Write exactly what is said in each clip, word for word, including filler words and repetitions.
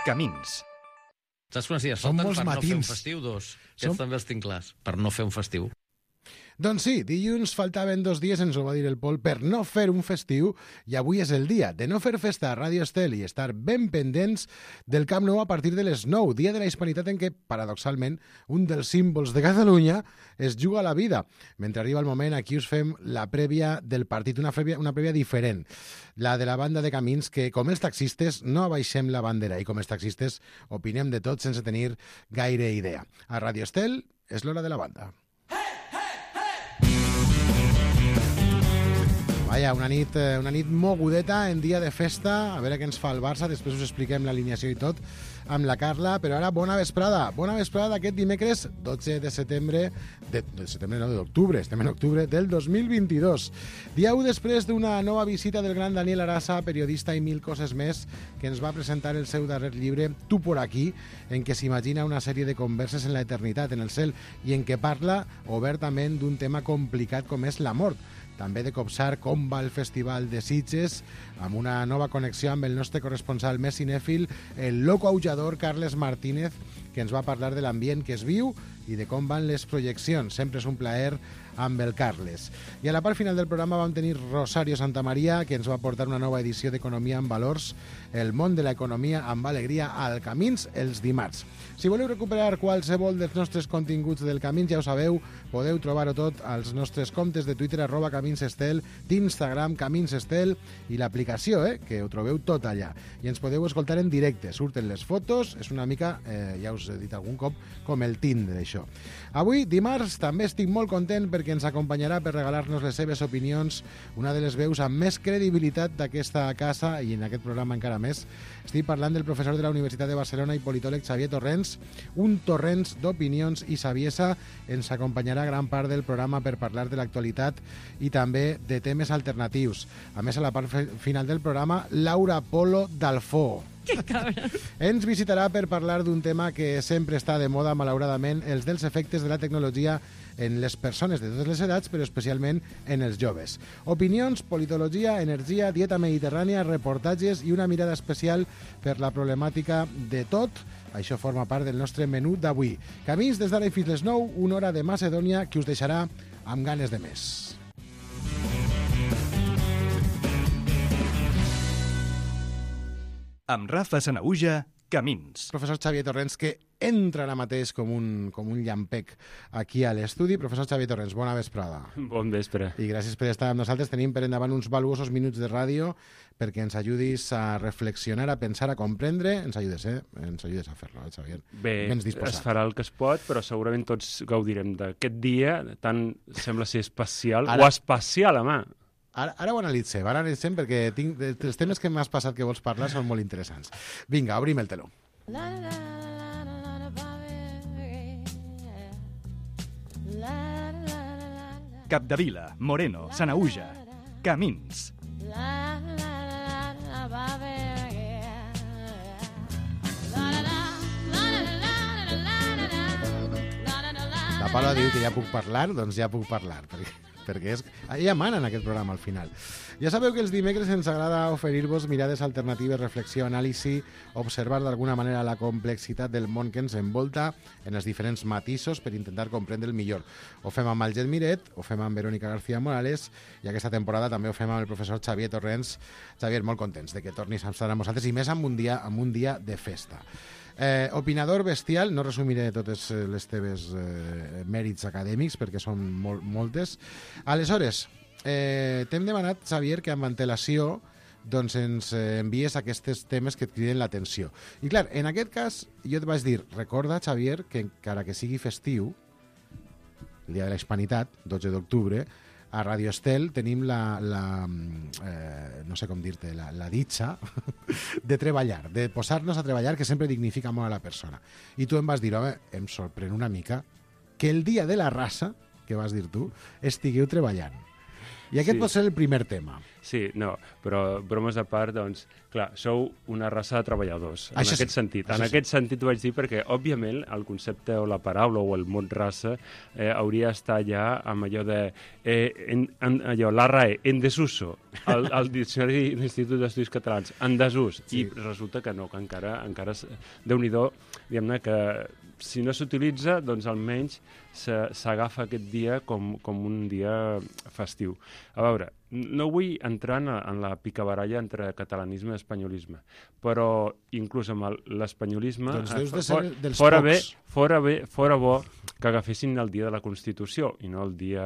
Camins. Saps quants dies Són falten molts per no fer matins. un festiu? Dos. Aquests Som- també els tinc clars, per no fer un festiu. Doncs sí, dilluns faltaven dos dies, ens ho va dir el Pol, per no fer un festiu, i avui és el dia de no fer festa a Ràdio Estel i estar ben pendents del Camp Nou a partir de les nou, dia de la Hispanitat en què, paradoxalment, un dels símbols de Catalunya es juga la vida. Mentre arriba el moment, aquí us fem la prèvia del partit, una prèvia, una prèvia diferent, la de la banda de Camins, que com els taxistes no abaixem la bandera i com els taxistes opinem de tot sense tenir gaire idea. A Ràdio Estel és l'hora de la banda. Vaja, una nit, una nit mogudeta en dia de festa, a veure què ens fa el Barça, després us expliquem l'alineació i tot amb la Carla, però ara bona vesprada, bona vesprada aquest dimecres dotze de setembre, de, de setembre no, d'octubre, estem en octubre del dos mil vint-i-dos. Dia u després d'una nova visita del gran Daniel Arasa, periodista i mil coses més, que ens va presentar el seu darrer llibre, Tu por aquí, en què s'imagina una sèrie de converses en la eternitat, en el cel, i en què parla obertament d'un tema complicat com és la mort. També de copsar com va el Festival de Sitges, amb una nova connexió amb el nostre corresponsal més cinèfil, el loco aullador Carles Martínez, que ens va parlar de l'ambient que es viu i de com van les projeccions. Sempre és un plaer amb el Carles. I a la part final del programa vam tenir Rosario Santamaria, que ens va portar una nova edició d'Economia amb Valors, el món de l'economia amb alegria al Camins els dimarts. Si voleu recuperar qualsevol dels nostres continguts del Camins, ja ho sabeu, podeu trobar-ho tot als nostres comptes de Twitter, arroba Camins Estel, d'Instagram, Camins Estel, i l'aplicació, eh, que ho trobeu tot allà. I ens podeu escoltar en directe, surten les fotos, és una mica, eh, ja us he dit algun cop, com el Tinder, això. Avui, dimarts, també estic molt content perquè ens acompanyarà per regalar-nos les seves opinions una de les veus amb més credibilitat d'aquesta casa i en aquest programa encara més. Estic parlant del professor de la Universitat de Barcelona i politòleg Xavier Torrents, un torrents d'opinions i saviesa. Ens acompanyarà gran part del programa per parlar de l'actualitat i també de temes alternatius. A més, a la part final del programa, Laura Polo d'Alfó. Que cabra. Ens visitarà per parlar d'un tema que sempre està de moda, malauradament, els dels efectes de la tecnologia en les persones de totes les edats, però especialment en els joves. Opinions, politologia, energia, dieta mediterrània, reportatges i una mirada especial per la problemàtica de tot. Això forma part del nostre menú d'avui. Camins des d'ara i fins les nou, una hora de Macedònia que us deixarà amb ganes de més. Amb Rafa Sanaüja, Camins. Professor Xavier Torrents, que entra ara mateix com un, com un llampec aquí a l'estudi. Professor Xavier Torrents, bona vesprada. Bon vespre. I gràcies per estar amb nosaltres. Tenim per endavant uns valuosos minuts de ràdio perquè ens ajudis a reflexionar, a pensar, a comprendre. Ens ajudes, eh? Ens ajudes a fer-lo, eh, Xavier? Bé, Bens disposat. es farà el que es pot, però segurament tots gaudirem d'aquest dia, tant sembla ser especial, Ara- o espacial, home. Ara, ara ho analitzem, ara analitzem perquè tinc, els temes que m'has passat que vols parlar són molt interessants. Vinga, obrim el teló. Capdevila, Moreno, Sanaüja, Camins. La Paula diu que ja puc parlar, doncs ja puc parlar, perquè, perquè és, ella mana en aquest programa al final. Ja sabeu que els dimecres ens agrada oferir-vos mirades alternatives, reflexió, anàlisi, observar d'alguna manera la complexitat del món que ens envolta en els diferents matisos per intentar comprendre el millor. Ho fem amb Alget Miret, ho fem amb Verónica García Morales i aquesta temporada també ho fem amb el professor Xavier Torrents. Xavier, molt contents de que tornis a estar amb nosaltres i més amb un dia, amb un dia de festa. Eh, opinador bestial, no resumiré totes les teves eh, mèrits acadèmics perquè són mol moltes. Aleshores, eh, t'hem demanat, Xavier, que amb antelació doncs ens eh, envies aquests temes que et criden l'atenció. I clar, en aquest cas, jo et vaig dir, recorda, Xavier, que encara que sigui festiu, el dia de la Hispanitat, dotze d'octubre, a Ràdio Estel tenim la, la eh, no sé com dir-te, la, la ditxa de treballar, de posar-nos a treballar, que sempre dignifica molt a la persona. I tu em vas dir, home, em sorprèn una mica que el dia de la raça, que vas dir tu, estigueu treballant. I aquest Sí. pot ser el primer tema. Sí, no, però bromes a part, doncs, clar, sou una raça de treballadors, en Això sí, aquest sentit. això En sí. aquest sentit ho vaig dir perquè, òbviament, el concepte o la paraula o el mot raça eh, hauria d'estar ja amb allò de... Eh, en, en, allò, l'A R A E, en desuso, el, el Diccionari de l'Institut d'Estudis Catalans, en desús, Sí. i resulta que no, que encara, encara s- Déu-n'hi-do, diguem-ne que si no s'utilitza, doncs almenys se- s'agafa aquest dia com, com un dia festiu. A veure, no vull entrar en, en la picabaralla entre catalanisme i espanyolisme, però inclús amb el- l'espanyolisme... Doncs deus de eh, ser fora- dels fora bé, pocs. fora bé, fora bo que agafessin el dia de la Constitució i no el dia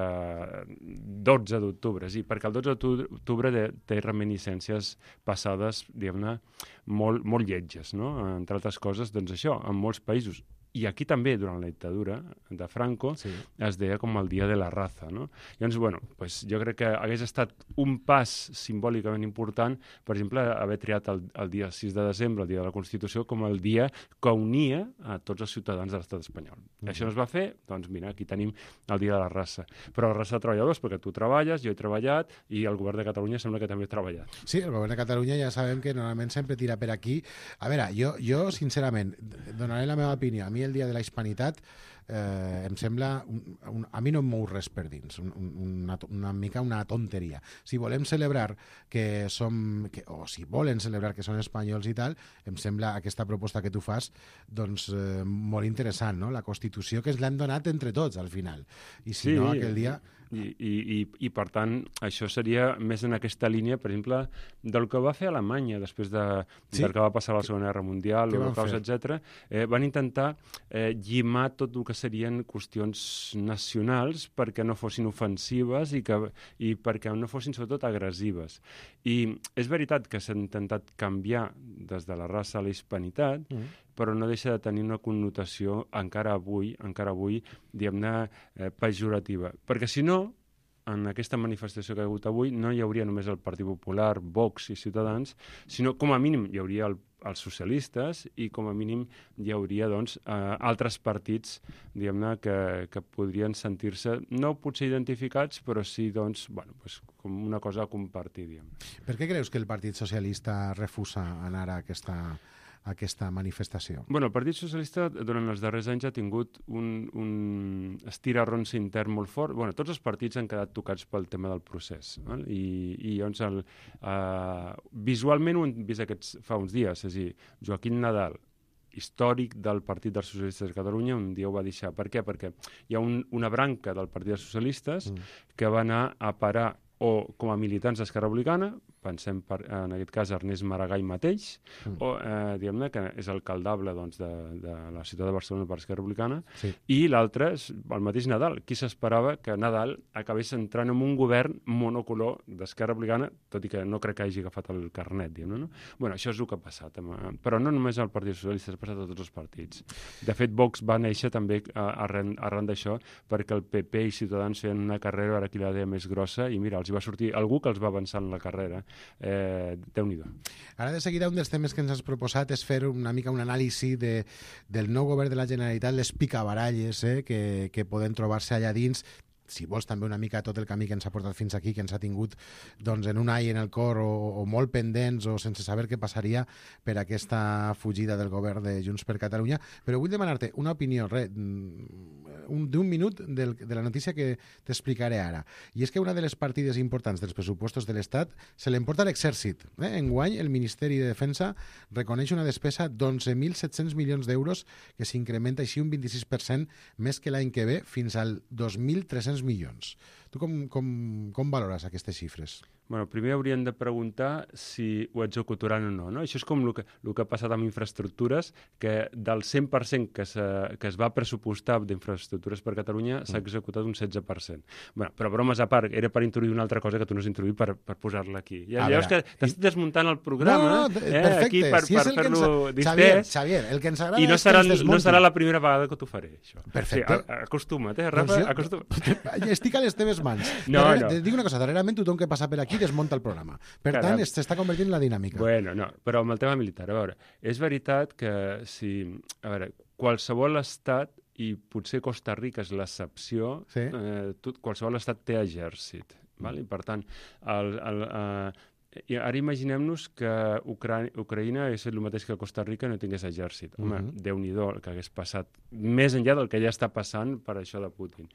dotze d'octubre, sí, perquè el dotze d'octubre té, té reminiscències passades, diguem-ne, molt, molt lletges, no? Entre altres coses, doncs això, en molts països, i aquí també, durant la dictadura de Franco, Sí. es deia com el dia de la raza, no? Llavors, bueno, pues jo crec que hagués estat un pas simbòlicament important, per exemple, haver triat el, el dia sis de desembre, el dia de la Constitució, com el dia que unia a tots els ciutadans de l'estat espanyol. Mm -hmm. Això no es va fer, doncs mira, aquí tenim el dia de la raça. Però la raça de treballadors, perquè tu treballes, jo he treballat, i el govern de Catalunya sembla que també ha treballat. Sí, el govern de Catalunya ja sabem que normalment sempre tira per aquí. A veure, jo, jo sincerament, donaré la meva opinió. A mi el dia de la hispanitat eh, em sembla... Un, un, a mi no em mou res per dins, un, un, una, una mica una tonteria. Si volem celebrar que som... Que, o si volen celebrar que són espanyols i tal, em sembla aquesta proposta que tu fas doncs eh, molt interessant, no? La Constitució que ens l'hem donat entre tots, al final. I si Sí, no, aquell dia... I, i, i, i, per tant, això seria més en aquesta línia, per exemple, del que va fer Alemanya després de, Sí. del que va passar a la Segona Guerra Mundial, Què van l'Holocaust, fer? etcètera. Eh, van intentar eh, llimar tot el que serien qüestions nacionals perquè no fossin ofensives i, que, i perquè no fossin, sobretot, agressives. I és veritat que s'ha intentat canviar des de la raça a la hispanitat, Mm. però no deixa de tenir una connotació encara avui, encara avui, diguem-ne, eh, pejorativa. Perquè si no, en aquesta manifestació que hi ha hagut avui, no hi hauria només el Partit Popular, Vox i Ciutadans, sinó com a mínim hi hauria el, els socialistes i com a mínim hi hauria doncs, eh, altres partits, diguem-ne, que, que podrien sentir-se, no potser identificats, però sí doncs, bueno, pues, com una cosa a compartir, diguem. Per què creus que el Partit Socialista refusa anar a aquesta, a aquesta manifestació? Bueno, el Partit Socialista durant els darrers anys ha tingut un, un estirarronsa intern molt fort. Bueno, tots els partits han quedat tocats pel tema del procés. Val? I, i llavors, el, uh, visualment ho hem vist aquests, fa uns dies. És a dir, Joaquim Nadal, històric del Partit dels Socialistes de Catalunya, un dia ho va deixar. Per què? Perquè hi ha un, una branca del Partit dels Socialistes mm. que va anar a parar o com a militants d'Esquerra Republicana, pensem per, en aquest cas Ernest Maragall mateix, mm. o eh, diguem-ne que és alcaldable doncs, de, de la ciutat de Barcelona per Esquerra Republicana, Sí. i l'altre és el mateix Nadal. Qui s'esperava que Nadal acabés entrant en un govern monocolor d'Esquerra Republicana, tot i que no crec que hagi agafat el carnet, diguem-ne, no? Bueno, això és el que ha passat. Amb, però no només al Partit Socialista, ha passat a tots els partits. De fet, Vox va néixer també arran, arran d'això, perquè el P P i Ciutadans feien una carrera, ara qui la deia més grossa, i mira, els hi va sortir algú que els va avançar en la carrera. Eh, Déu-n'hi-do. Ara, de seguida, un dels temes que ens has proposat és fer una mica un anàlisi de, del nou govern de la Generalitat, les picabaralles eh, que, que poden trobar-se allà dins, si vols també una mica tot el camí que ens ha portat fins aquí, que ens ha tingut doncs, en un ai en el cor o, o molt pendents o sense saber què passaria per aquesta fugida del govern de Junts per Catalunya. Però vull demanar-te una opinió re, un, d'un minut del, de la notícia que t'explicaré ara. I és que una de les partides importants dels pressupostos de l'Estat se l'emporta l'exèrcit. Eh? Enguany, el Ministeri de Defensa reconeix una despesa d'onze mil set-cents milions d'euros que s'incrementa així un vint-i-sis per cent més que l'any que ve fins al dos mil tres-cents milions. Tu com, com, com valores aquestes xifres? Bueno, primer hauríem de preguntar si ho executaran o no, no? Això és com el que, el que ha passat amb infraestructures, que del cent per cent que, se, que es va pressupostar d'infraestructures per Catalunya s'ha executat un setze per cent. Bueno, però bromes a part, era per introduir una altra cosa que tu no has introduït per, per posar-la aquí. Ja, ja veus que t'estic desmuntant el programa, no, no, eh, perfecte. aquí per, si per fer-lo distès. Xavier, Xavier, el que ens agrada i no és serà, que ens no serà la primera vegada que t'ho faré, això. Perfecte. Sí, acostuma't, eh, Rafa? Doncs jo- Acostuma't. Estic a les teves mans. No, Darrere, no. Te dic una cosa, darrerament tothom que passa per aquí desmunta el programa. Per Caram. tant, s'està convertint en la dinàmica. Bueno, no, però amb el tema militar, a veure, és veritat que si, a veure, qualsevol estat, i potser Costa Rica és l'excepció, Sí. eh, tot, qualsevol estat té exèrcit. Val? I, per tant, el, el, uh, i ara imaginem-nos que Ucra Ucraïna hagués fet el mateix que Costa Rica no tingués exèrcit. Home, uh -huh. Déu-n'hi-do el que hagués passat, més enllà del que ja està passant per això de Putin.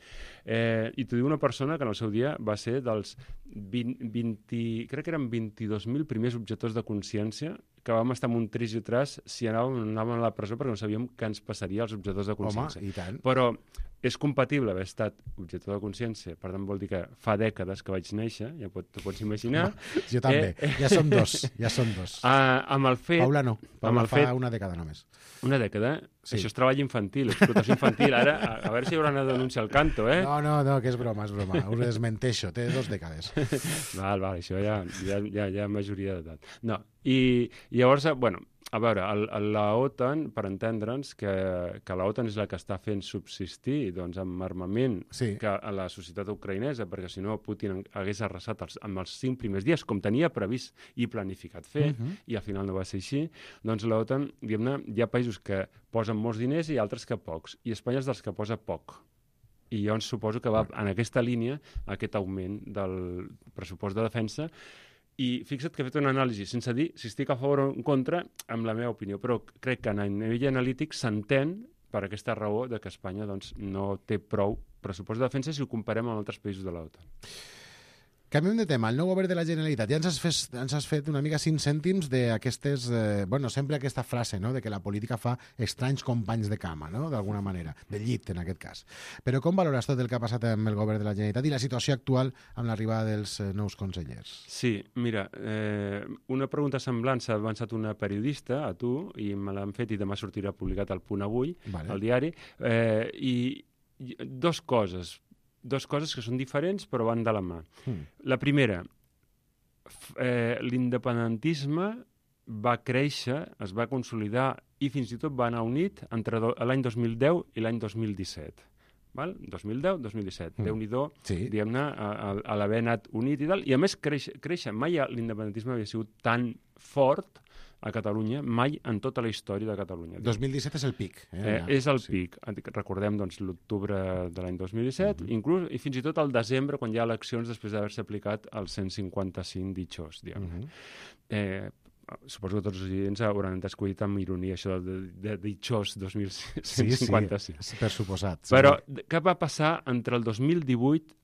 Eh, I t'ho diu una persona que en el seu dia va ser dels vint, vint, crec que eren vint-i-dos mil primers objectors de consciència que vam estar amb un tris i tras si anàvem, anàvem a la presó perquè no sabíem què ens passaria als objectors de consciència. Home, i tant. Però és compatible haver estat objector de consciència, per tant vol dir que fa dècades que vaig néixer, ja pot, t'ho pots imaginar. Jo també, eh, ja som dos, ja som dos. Uh, amb el fet... Paula no, Paula amb el fa fet, una dècada només. Una dècada? Sí. Això és treball infantil, explotació infantil. Ara, a, a veure si hi haurà una denúncia al canto, eh? No, no, no, que és broma, és broma. Us desmenteixo, té dos dècades. Val, val, això ja, ja, ja, ja majoria d'edat. No, i, i llavors, bueno, a veure, el, el, la OTAN, per entendre'ns, que, que la OTAN és la que està fent subsistir doncs, amb armament Sí. que a la societat ucraïnesa, perquè si no Putin hagués arrasat els, amb els cinc primers dies, com tenia previst i planificat fer, Uh-huh. i al final no va ser així, doncs la OTAN, diguem-ne, hi ha països que posen molts diners i altres que pocs, i Espanya és dels que posa poc. I llavors suposo que va en aquesta línia aquest augment del pressupost de defensa. I fixa't que he fet una anàlisi, sense dir si estic a favor o en contra, amb la meva opinió, però crec que a nivell analític s'entén per aquesta raó de que Espanya doncs, no té prou pressupost de defensa si ho comparem amb altres països de l'OTAN. Canviem de tema. El nou govern de la Generalitat. Ja ens has, fes, ens has fet una mica cinc cèntims d'aquestes... Eh, bueno, sempre aquesta frase, no?, de que la política fa estranys companys de cama, no?, d'alguna manera, de llit, en aquest cas. Però com valores tot el que ha passat amb el govern de la Generalitat i la situació actual amb l'arribada dels eh, nous consellers? Sí, mira, eh, una pregunta semblant s'ha avançat una periodista, a tu, i me l'han fet i demà sortirà publicat al Punt Avui, Vale. al diari, eh, i, i dos coses, dos coses que són diferents però van de la mà. Mm. La primera, f- eh, l'independentisme va créixer, es va consolidar i fins i tot va anar unit entre do, l'any dos mil deu i l'any dos mil disset. Val? dos mil deu dos mil disset. Mm. Déu-n'hi-do, Sí. diguem-ne, a, a, a l'haver anat unit i tal. I a més, créixer, créixer. Mai l'independentisme havia sigut tan fort a Catalunya, mai en tota la història de Catalunya. dos mil disset és el pic. Eh, Eh, ja. és el Sí. pic. Recordem doncs, l'octubre de l'any dos mil disset, Mhm. inclús, i fins i tot al desembre, quan hi ha eleccions després d'haver-se aplicat el cent cinquanta-cinc ditxós, diguem. Mhm. eh, suposo que tots els oients hauran descobrit amb ironia això de, de ditxós dos mil Sí, cinquanta-cinc. sí, per suposat. Però què va passar entre el dos mil divuit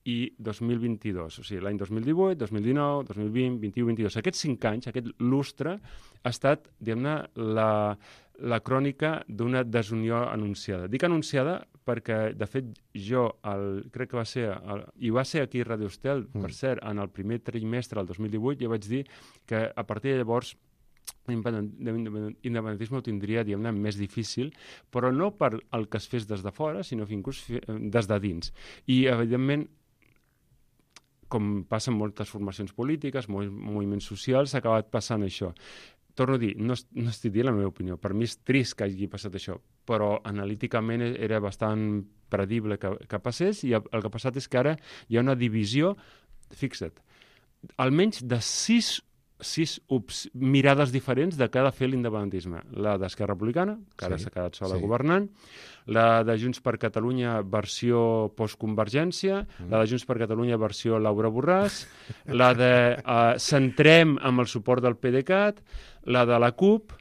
i dos mil vint-i-dos? O sigui, l'any dos mil divuit, dos mil dinou, dos mil vint, vint-i-u, vint-i-dos. Aquests cinc anys, aquest lustre, ha estat, diguem-ne, la, la crònica d'una desunió anunciada. Dic anunciada perquè, de fet, jo, el, crec que va ser, el, i va ser aquí a Radio Estel, Mm. per cert, en el primer trimestre del dos mil divuit, jo vaig dir que a partir de llavors l'independentisme ho tindria, diguem-ne, més difícil, però no per el que es fes des de fora, sinó inclús des de dins. I, evidentment, com passa en moltes formacions polítiques, molts moviments socials, s'ha acabat passant això. Torno a dir, no, no estic dient la meva opinió, per mi és trist que hagi passat això, però analíticament era bastant predible que, que passés, i el, el que ha passat és que ara hi ha una divisió, fixa't, almenys de sis sis ups, mirades diferents de què ha de fer l'independentisme. La d'Esquerra Republicana, que ara Sí, s'ha quedat sola sí. governant, la de Junts per Catalunya versió postconvergència, Mm. la de Junts per Catalunya versió Laura Borràs, la de uh, Centrem amb el suport del PDeCAT, la de la CUP,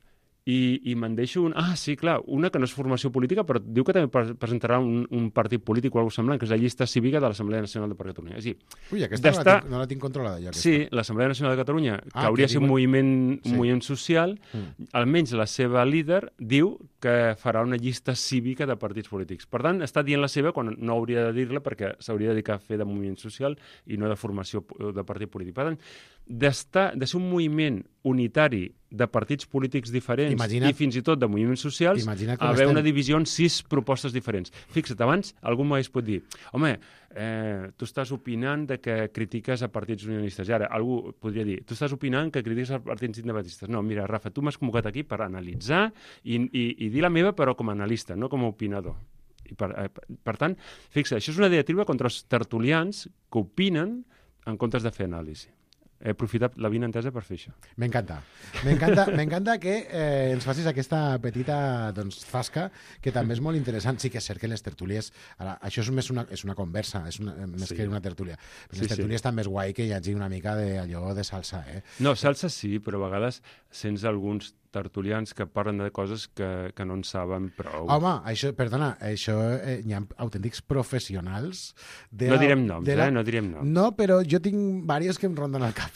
i, i me'n deixo un... Ah, sí, clar, una que no és formació política, però diu que també pre- presentarà un, un partit polític o alguna cosa semblant, que és la llista cívica de l'Assemblea Nacional de Catalunya. És a dir, Ui, aquesta no la, d'estar- tinc, no la tinc controlada, jo, aquesta. sí, l'Assemblea Nacional de Catalunya, que Ah, hauria que de ser un diuen- moviment, Sí. un moviment social, Mm. almenys la seva líder diu que farà una llista cívica de partits polítics. Per tant, està dient la seva quan no hauria de dir-la perquè s'hauria de dedicar a fer de moviment social i no de formació po- de partit polític. Per tant, d'estar, de ser un moviment unitari de partits polítics diferents Imagina't- i fins i tot de moviments socials, Imagina't com haver estem. una divisió en sis propostes diferents. Fixa't, abans algú m'hagués pot dir home, eh, tu estàs opinant de que critiques a partits unionistes. I ara algú podria dir, tu estàs opinant que critiques a partits independentistes. No, mira, Rafa, tu m'has convocat aquí per analitzar i, i, i dir la meva, però com a analista, no com a opinador. I per, eh, per, per tant, fixa't, això és una diatriba contra els tertulians que opinen en comptes de fer anàlisi. he aprofitat la vinentesa per fer això. M'encanta. M'encanta, m'encanta que eh, ens facis aquesta petita doncs, zasca, que també és molt interessant. Sí que és cert que les tertúlies... Ara, això és més una, és una conversa, és una, més Sí. que una tertúlia. Les Sí, sí. tertúlies també és guai que hi hagi una mica d'allò de salsa, eh? No, salsa sí, però a vegades sents alguns tertulians que parlen de coses que, que no en saben prou. Home, això, perdona, això eh, hi ha autèntics professionals... De No la- direm noms, de la- eh? No direm noms. No, però jo tinc diversos que em ronden al cap.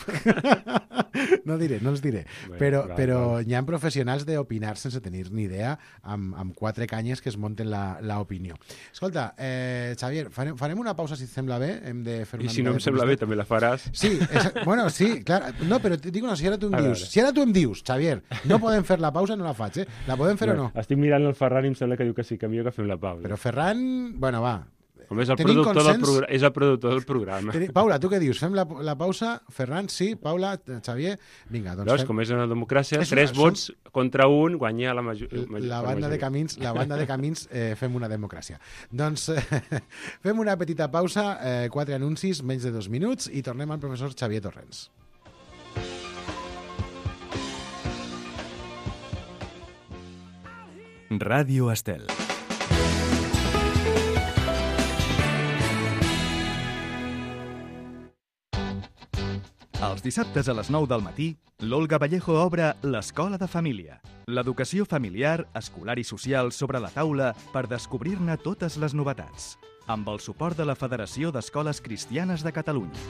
No diré, no els diré. Bé, però val, però val. hi ha professionals d'opinar sense tenir ni idea, amb, amb quatre canyes que es munten l'opinió. Escolta, eh, Xavier, farem, farem una pausa si et sembla bé. Hem de fer I una si mica no de em sembla bé, publicitat. també la faràs. Sí, és, bueno, sí, clar. No, però et dic una, si ara tu em A dius, veure. si ara tu em dius, Xavier, no podem fer la pausa, no la faig, eh? La podem fer o no? Estic mirant el Ferran i em sembla que diu que sí, que millor que fem la pausa. Però Ferran, bueno, va. Com és el, tenim productor del consens? programa, és el productor del programa. Teni- Paula, tu què dius? Fem la, la pausa? Ferran, sí. Paula, Xavier, vinga, doncs Veus, fem... com és una democràcia, És tres una- vots contra un, guanya la major... major La per banda de majoria. camins, la banda de camins eh, fem una democràcia. Doncs eh, fem una petita pausa, eh, quatre anuncis, menys de dos minuts, i tornem al professor Xavier Torrents. Ràdio Estel. Els dissabtes a les nou del matí, l'Olga Vallejo obre l'Escola de Família. L'educació familiar, escolar i social sobre la taula per descobrir-ne totes les novetats. Amb el suport de la Federació d'Escoles Cristianes de Catalunya.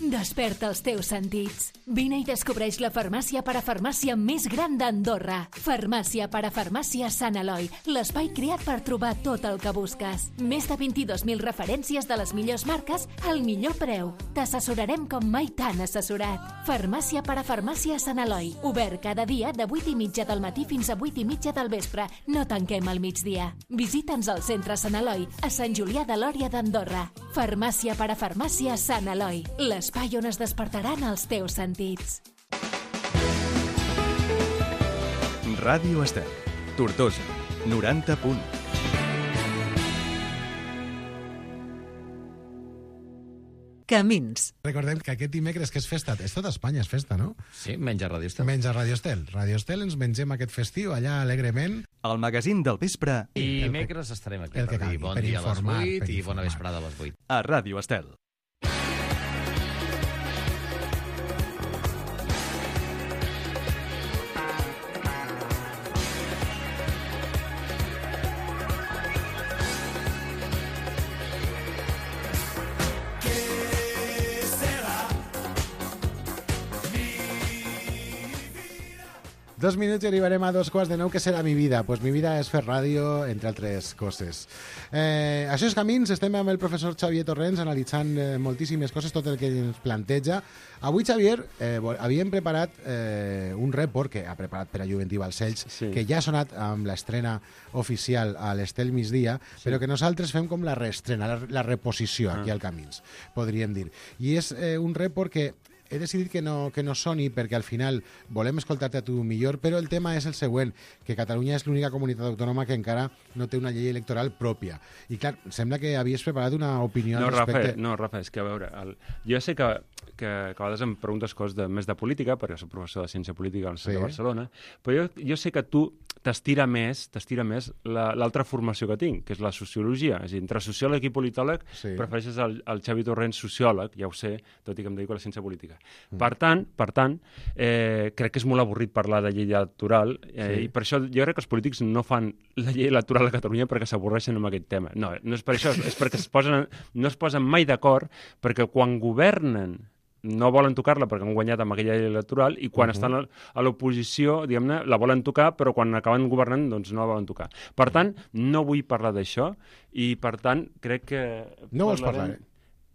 Desperta els teus sentits. Vine i descobreix la farmàcia parafarmàcia més gran d'Andorra. Farmàcia parafarmàcia Sant Eloi, l'espai creat per trobar tot el que busques. Més de vint-i-dos mil referències de les millors marques al millor preu. T'assessorarem com mai t'han assessorat. Farmàcia parafarmàcia Sant Eloi, obert cada dia de vuit i mitja del matí fins a vuit i mitja del vespre. No tanquem al migdia. Visita'ns al centre Sant Eloi, a Sant Julià de Lòria d'Andorra. Farmàcia parafarmàcia Sant Eloi, l'espai on es despertaran els teus sentits. Ràdio Estel. Tortosa. noranta punt. Camins. Recordem que aquest dimecres, que és festa, és tot Espanya, és festa, no? Sí, menys a Ràdio Estel. Menys a Radio Estel. Radio Estel ens mengem aquest festiu allà alegrement. El magazín del vespre I dimecres estarem aquí el que per dir calgui, bon per dia informar, a les per vuit i informar. bona vesprada a les vuit. a Ràdio Estel. Dos minuts i arribarem a dos quarts de nou. Què serà mi vida? Pues mi vida és fer ràdio, entre altres coses. Eh, això és Camins, estem amb el professor Xavier Torrents analitzant eh, moltíssimes coses, tot el que ens planteja. Avui, Xavier, eh, vol- havíem preparat eh, un report que ha preparat per a Juventí Balcells, Sí. que ja ha sonat amb l'estrena oficial a l'Estel migdia, sí. però que nosaltres fem com la reestrena, la, la reposició aquí Ah. al Camins, podríem dir. I és eh, un report que he decidit que no, que no soni perquè al final volem escoltar-te a tu millor, però el tema és el següent, que Catalunya és l'única comunitat autònoma que encara no té una llei electoral pròpia. I clar, sembla que havies preparat una opinió No, al Rafa, respecte. no, Rafa, és que a veure, el... jo sé que, que, que a vegades em preguntes coses de, més de política, perquè soc professor de ciència política a la Sí. de Barcelona, però jo, jo sé que tu t'estira més t'estira més la- l'altra formació que tinc, que és la sociologia. És a dir, entre sociòleg i politòleg Sí. prefereixes el, el Xavi Torrents sociòleg, ja ho sé, tot i que em dedico a la ciència política. Mm. Per tant, per tant eh, crec que és molt avorrit parlar de llei electoral eh, Sí. i per això jo crec que els polítics no fan la llei electoral a Catalunya perquè s'avorreixen amb aquest tema. No, no és per això, és perquè es posen, no es posen mai d'acord, perquè quan governen no volen tocar-la perquè han guanyat amb aquella llei electoral i quan uh -huh. estan a- a l'oposició, diguem-ne, la volen tocar, però quan acaben governant doncs no la volen tocar. Per tant, no vull parlar d'això i, per tant, crec que... No vols parlarem- parlar,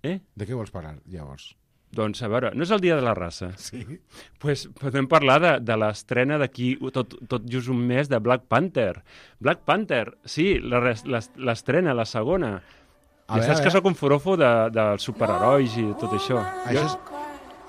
Eh? De què vols parlar, llavors? Doncs, a veure, no és el dia de la raça. Sí. Pues podem parlar de, de l'estrena d'aquí tot, tot just un mes de Black Panther. Black Panther, sí, la res- l'es- l'estrena, la segona. A Ja veure, saps a que veure. sóc un forofo de, dels superherois i tot això. Això és...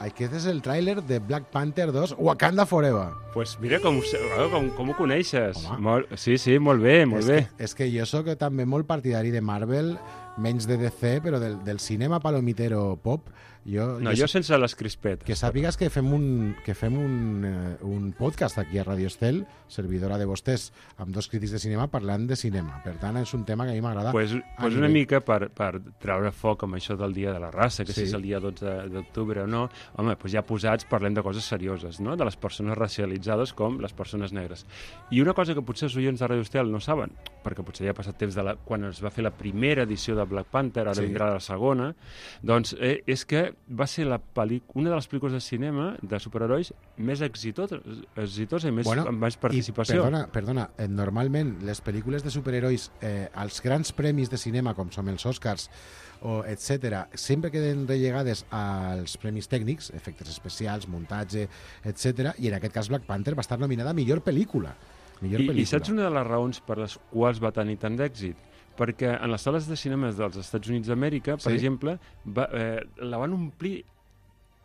Aquest és el tràiler de Black Panther dos, Wakanda Forever. Pues mira com, ho sé- com, com ho coneixes. Home. Molt, sí, sí, molt bé, molt és bé. Que, és que jo sóc també molt partidari de Marvel. menys de D C, però del, del cinema palomitero pop, jo... No, jo, jo sense les crispetes. Que sàpigues que fem un, que fem un, uh, un podcast aquí a Radio Estel, servidora de vostès, amb dos crítics de cinema parlant de cinema. Per tant, és un tema que a mi m'agrada. Pues, pues una mica per, per treure foc amb això del Dia de la Raça, que sí. si és el dia dotze d'octubre o no, home, pues ja posats parlem de coses serioses, no? De les persones racialitzades com les persones negres. I una cosa que potser els oients de Radio Estel no saben, perquè potser ja ha passat temps de la, quan es va fer la primera edició de Black Panther, ara sí. vindrà la segona, doncs eh, és que va ser la una de les pel·lícules de cinema de superherois més exitosa, exitosa i més, bueno, amb més participació. I perdona, perdona eh, normalment les pel·lícules de superherois, eh, als grans premis de cinema, com són els Oscars, o etcètera, sempre queden rellegades als premis tècnics, efectes especials, muntatge, etcètera, i en aquest cas Black Panther va estar nominada a millor pel·lícula. Millor I, pel·lícula. I saps una de les raons per les quals va tenir tant d'èxit? Perquè en les sales de cinema dels Estats Units d'Amèrica, per sí? exemple, va, eh, la van omplir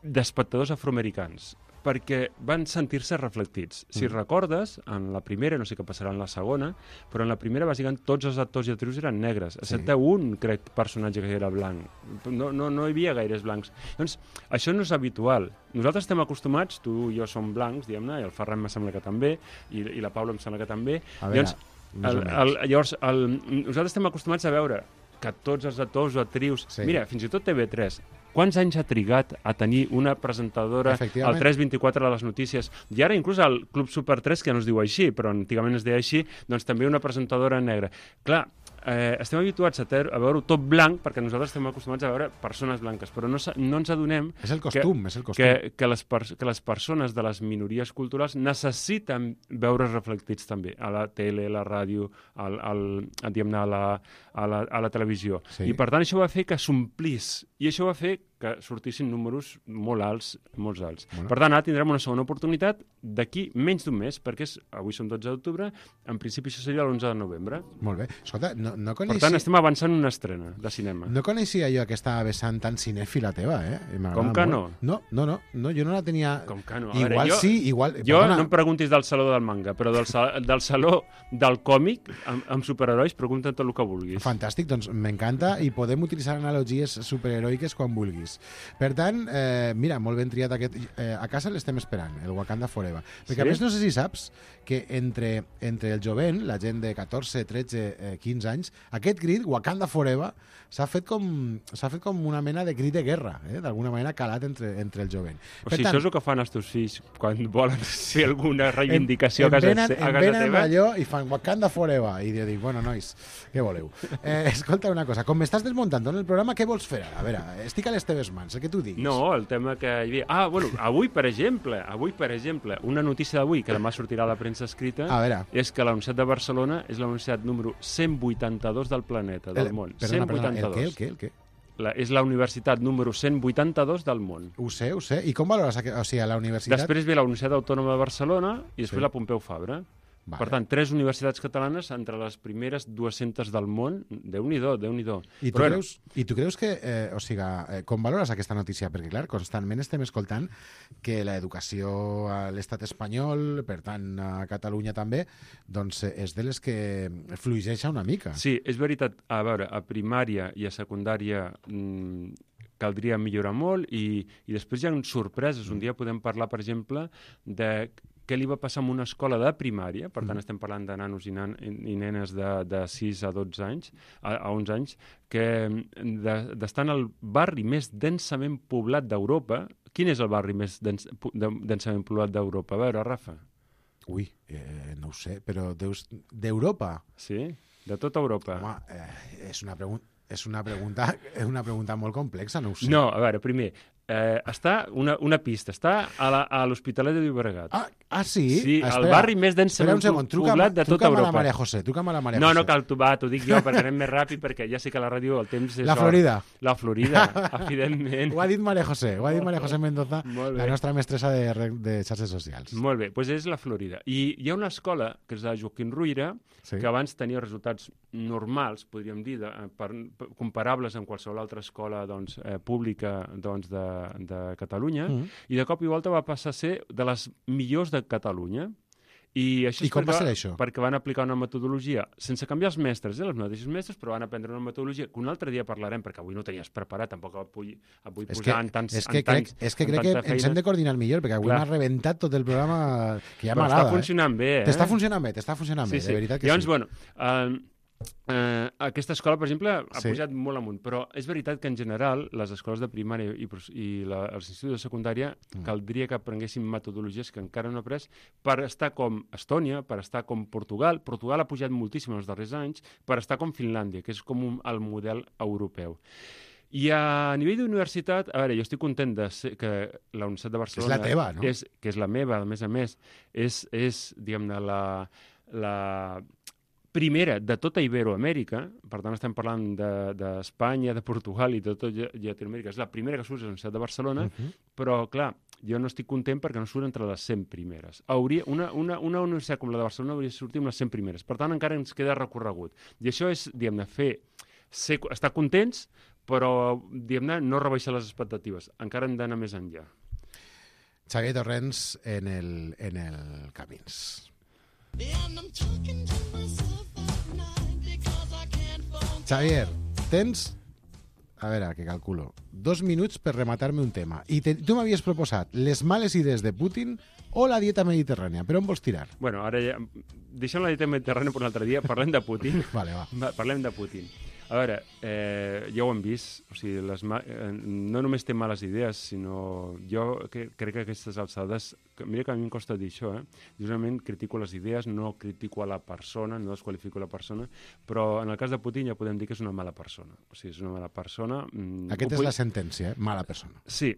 d'espectadors afroamericans, perquè van sentir-se reflectits. Mm. Si recordes, en la primera, no sé què passarà en la segona, però en la primera, bàsicament, tots els actors i actrius eren negres, excepte sí. un, crec, personatge que era blanc. No, no, no hi havia gaires blancs. Doncs això no és habitual. Nosaltres estem acostumats, tu i jo som blancs, diguem-ne, i el Ferran em sembla que també, i, i la Paula em sembla que també. A veure, llavors, el, el, llavors el, nosaltres estem acostumats a veure que tots els actors o actrius... Sí. Mira, fins i tot T V tres... Quants anys ha trigat a tenir una presentadora al tres vint-i-quatre de les notícies? I ara inclús al Club Super tres, que ja no es diu així, però antigament es deia així, doncs també una presentadora negra. Clar, eh, estem habituats a, a veure-ho tot blanc, perquè nosaltres estem acostumats a veure persones blanques, però no, no ens adonem és el costum, que, és el costum. Que, que, les que les persones de les minories culturals necessiten veure's reflectits també a la tele, a la ràdio, al, al, a, a, la, a, la, a la televisió. Sí. I per tant això va fer que s'omplís, i això va fer que sortissin números molt alts, molt alts. Bueno. Per tant, ara tindrem una segona oportunitat d'aquí menys d'un mes, perquè és, avui som dotze d'octubre, en principi això seria l'onze de novembre. Molt bé. Escolta, no, no coneixia... Per tant, estem avançant una estrena de cinema. No coneixia jo aquesta vessant tan cinèfila teva, eh? Com que no? No, no, no, no, jo no la tenia... Com que no? Igual veure, jo, sí, igual... Jo Perdona. no em preguntis del saló del manga, però del, sal, del saló del còmic amb, amb superherois, pregunta't tot el que vulguis. Fantàstic, doncs m'encanta i podem utilitzar analogies superheroiques quan vulguis. Per tant, eh, mira, molt ben triat aquest... Eh, a casa l'estem esperant, el Wakanda Forever. Perquè sí? A més no sé si saps que entre, entre el jovent, la gent de catorze, tretze, eh, quinze anys, aquest crit, Wakanda Forever, s'ha fet, com, s'ha fet com una mena de crit de guerra, eh? D'alguna manera calat entre, entre el jovent. O per sigui, tant, això és el que fan els teus fills quan volen fer alguna reivindicació en, en a casa, venen, a casa teva? En venen allò i fan Wakanda Forever. I jo dic, bueno, nois, què voleu? Eh, escolta una cosa, com m'estàs desmuntant en el programa, què vols fer ara? A veure, estic a les teves mans, el que tu diguis. No, el tema que hi havia... Ah, bueno, avui, per exemple, avui, per exemple, una notícia d'avui, que demà sortirà a la premsa escrita, és que la Universitat de Barcelona és la universitat número cent vuitanta-dos del planeta, del el, món. Perdona, cent vuitanta-dos. Perdona, el què, el què, el què? La, és la universitat número cent vuitanta-dos del món. Ho sé, ho sé. I com valores? O sigui, a la universitat... Després ve la Universitat Autònoma de Barcelona i després sí. la Pompeu Fabra. Vale. Per tant, tres universitats catalanes entre les primeres dues-centes del món. Déu-n'hi-do, Déu-n'hi-do. I tu, Però, creus, I tu creus que, eh, o sigui, eh, com valores aquesta notícia? Perquè, clar, constantment estem escoltant que l'educació a l'estat espanyol, per tant, a Catalunya també, doncs és de les que fluixeja una mica. Sí, és veritat. A veure, a primària i a secundària... Mmm, caldria millorar molt i, i després hi ha sorpreses. Un dia podem parlar, per exemple, de què li va passar en una escola de primària, per tant mm. estem parlant de nanos i, nan, i nenes de, de sis a dotze anys, a, a onze anys, que d'estar de, en el barri més densament poblat d'Europa. Quin és el barri més dens, de, densament poblat d'Europa? A veure, Rafa. Ui, eh, no ho sé, però d'Europa? Sí, de tota Europa. Home, eh, és una pregunta... És una pregunta, és una pregunta molt complexa, no ho sé. No, a veure, primer, eh, està una, una pista, està a l'Hospitalet de Llobregat. Ah, ah sí? Sí, espera, el barri més densament poblat de tota Europa. Truca'm a la Maria José, truca'm a la Maria no, José. No, cal, tu, va, t'ho dic jo, perquè anem més ràpid, perquè ja sé que a la ràdio el temps és... La Florida. La Florida, evidentment. Ho ha dit Maria José, ho ha dit Maria José Mendoza, la nostra mestressa de, de xarxes socials. Molt bé, doncs és la Florida. I hi ha una escola, que és de Joaquim Ruyra, sí. que abans tenia resultats normals, podríem dir, de, per, per, comparables amb qualsevol altra escola doncs, eh, pública doncs, de, de Catalunya, mm. i de cop i volta va passar a ser de les millors de Catalunya. I, això I és com perquè, va ser això? Perquè van aplicar una metodologia, sense canviar els mestres, eh, els mateixos mestres, però van aprendre una metodologia que un altre dia parlarem, perquè avui no tenies preparat, tampoc el vull, el vull És posar que, en tants és que en tants, crec, és que, en crec que tanta ens feina. hem de coordinar millor, perquè avui Clar. m'ha rebentat tot el programa, que ja Però m'agrada. està funcionant bé, eh? T'està funcionant bé, t'està funcionant Sí, bé, sí. de veritat que Llavors, sí. bueno, eh, eh, aquesta escola, per exemple, ha Sí. pujat molt amunt, però és veritat que en general les escoles de primària i, pros- i la, els instituts de secundària Mm. caldria que aprenguessin metodologies que encara no ha après per estar com Estònia, per estar com Portugal. Portugal ha pujat moltíssim els darrers anys, per estar com Finlàndia, que és com un, el model europeu. I a nivell d'universitat, a veure, jo estic content de ser, que la Universitat de Barcelona... És la teva, no? És, que és la meva, a més a més. És, és diguem-ne, la, la primera de tota Iberoamèrica, per tant estem parlant d'Espanya, de, de Portugal i de tot Llatinoamèrica, és la primera que surt a la Universitat de Barcelona, uh -huh. però, clar, jo no estic content perquè no surt entre les cent primeres. Hauria, una, una, una universitat com la de Barcelona hauria de sortir amb les cent primeres. Per tant, encara ens queda recorregut. I això és, diguem-ne, fer, ser, estar contents, però, diguem-ne, no rebaixar les expectatives. Encara hem d'anar més enllà. Xavier Torrents en el, en el Camins. Xavier, tens, a veure, que calculo, dos minuts per rematar-me un tema. I te, tu m'havies proposat les males idees de Putin o la dieta mediterrània. Per on vols tirar? Bueno, ara ja... Deixem la dieta mediterrània per un altre dia. Parlem de Putin. Vale, va. Va, parlem de Putin. A veure, eh, ja ho hem vist, o sigui, les ma eh, no només té males idees, sinó jo que, crec que aquestes alçades, que, mira que a mi em costa dir això, eh? Justament critico les idees, no critico a la persona, no desqualifico la persona, però en el cas de Putin ja podem dir que és una mala persona. O sigui, és una mala persona... Mm, Aquesta és puc... la sentència, eh? Mala persona. Sí,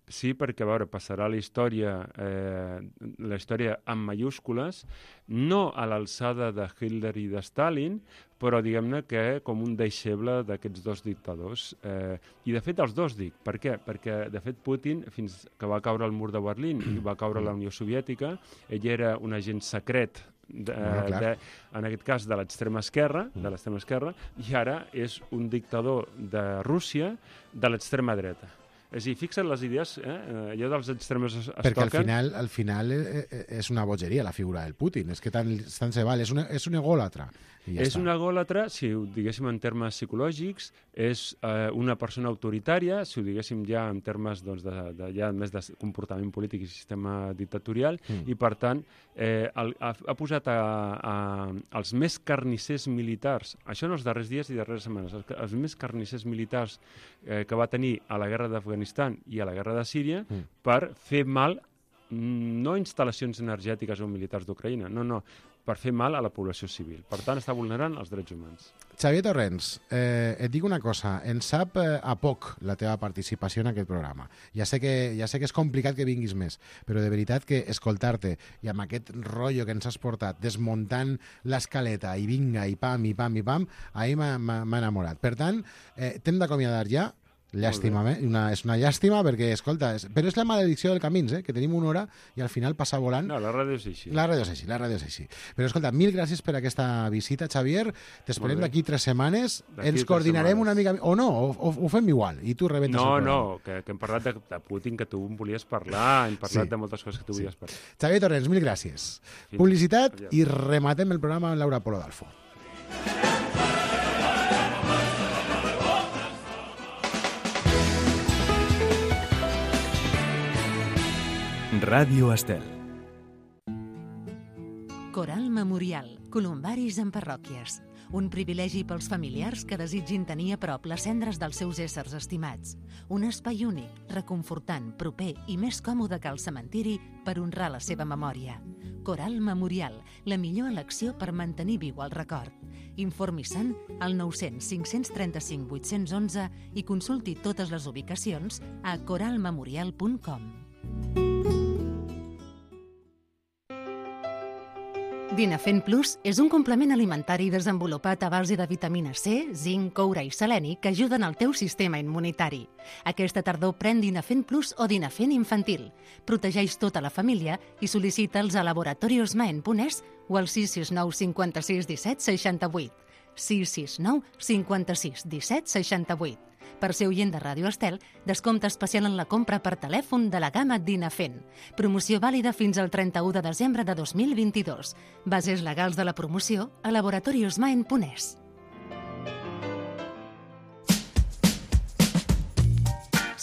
sí, perquè, a veure, passarà la història, eh, la història amb mayúscules, no a l'alçada de Hitler i de Stalin, però diguem-ne que com un deixeble d'aquests dos dictadors. Eh, I de fet els dos dic. Per què? Perquè de fet Putin, fins que va caure el mur de Berlín i va caure la Unió Soviètica, ell era un agent secret de, Bueno, de, en aquest cas de l'extrema esquerra, de l'extrema esquerra, i ara és un dictador de Rússia de l'extrema dreta. És a dir, fixa't les idees, eh? allò dels extremes es, es Perquè al toquen. final, al final eh, eh, és una bogeria la figura del Putin, és que tant, tant se val, és, una, és un egòlatra. I ja És està. un egòlatra, si ho diguéssim en termes psicològics, és eh, una persona autoritària, si ho diguéssim ja en termes doncs, de, de, ja més de comportament polític i sistema dictatorial, mm. i per tant eh, el, ha, ha posat a, a, als més carnissers militars, això en els darrers dies i darreres setmanes, els, els més carnissers militars eh, que va tenir a la guerra d'Afganistan i a la guerra de Síria, mm. per fer mal no instal·lacions energètiques o militars d'Ucraïna, no, no, per fer mal a la població civil. Per tant, està vulnerant els drets humans. Xavier Torrents, eh, et dic una cosa, ens sap eh, a poc la teva participació en aquest programa. Ja sé, que, ja sé que és complicat que vinguis més, però de veritat que escoltar-te i amb aquest rotllo que ens has portat, desmuntant l'escaleta i vinga, i pam, i pam, i pam, ahir m'ha enamorat. Per tant, eh, t'hem d'acomiadar ja. Llàstima, eh? una, és una llàstima perquè, escolta, és, però és la maledicció del Camins, eh? Que tenim una hora i al final passa volant. No, la ràdio és així. La ràdio és així, la ràdio és així. Però escolta, mil gràcies per aquesta visita, Xavier. T'esperem d'aquí tres setmanes. Ens coordinarem una mica... O no, o, o, ho fem igual i tu rebentes no, el programa. No, no, que, que hem parlat de, de Putin, que tu em volies parlar, hem parlat sí. de moltes coses que tu sí. volies parlar. Xavier Torrents, mil gràcies. Fins. Publicitat Adiós. I rematem el programa amb Laura Polo d'Alfo. Ràdio Estel. Coral Memorial, columbaris en parròquies. Un privilegi pels familiars que desitgin tenir a prop les cendres dels seus éssers estimats. Un espai únic, reconfortant, proper i més còmode que el cementiri per honrar la seva memòria. Coral Memorial, la millor elecció per mantenir viu el record. Informi-se'n al nou cents cinc cents trenta-cinc vuit-cents onze i consulti totes les ubicacions a coral memorial punt com. Dinafen Plus és un complement alimentari desenvolupat a base de vitamina C, zinc, coure i seleni que ajuden al teu sistema immunitari. Aquesta tardor pren Dinafen Plus o Dinafen infantil. Protegeix tota la família i sol·licita'ls a laboratoriosmaen punt es o al sis sis nou cinquanta-sis disset seixanta-vuit. sis sis nou cinquanta-sis disset seixanta-vuit. Per ser oient de Ràdio Estel, descompte especial en la compra per telèfon de la gamma Dinafent. Promoció vàlida fins al trenta-u de desembre de dos mil vint-i-dos. Bases legals de la promoció a laboratoriosmaen punt es.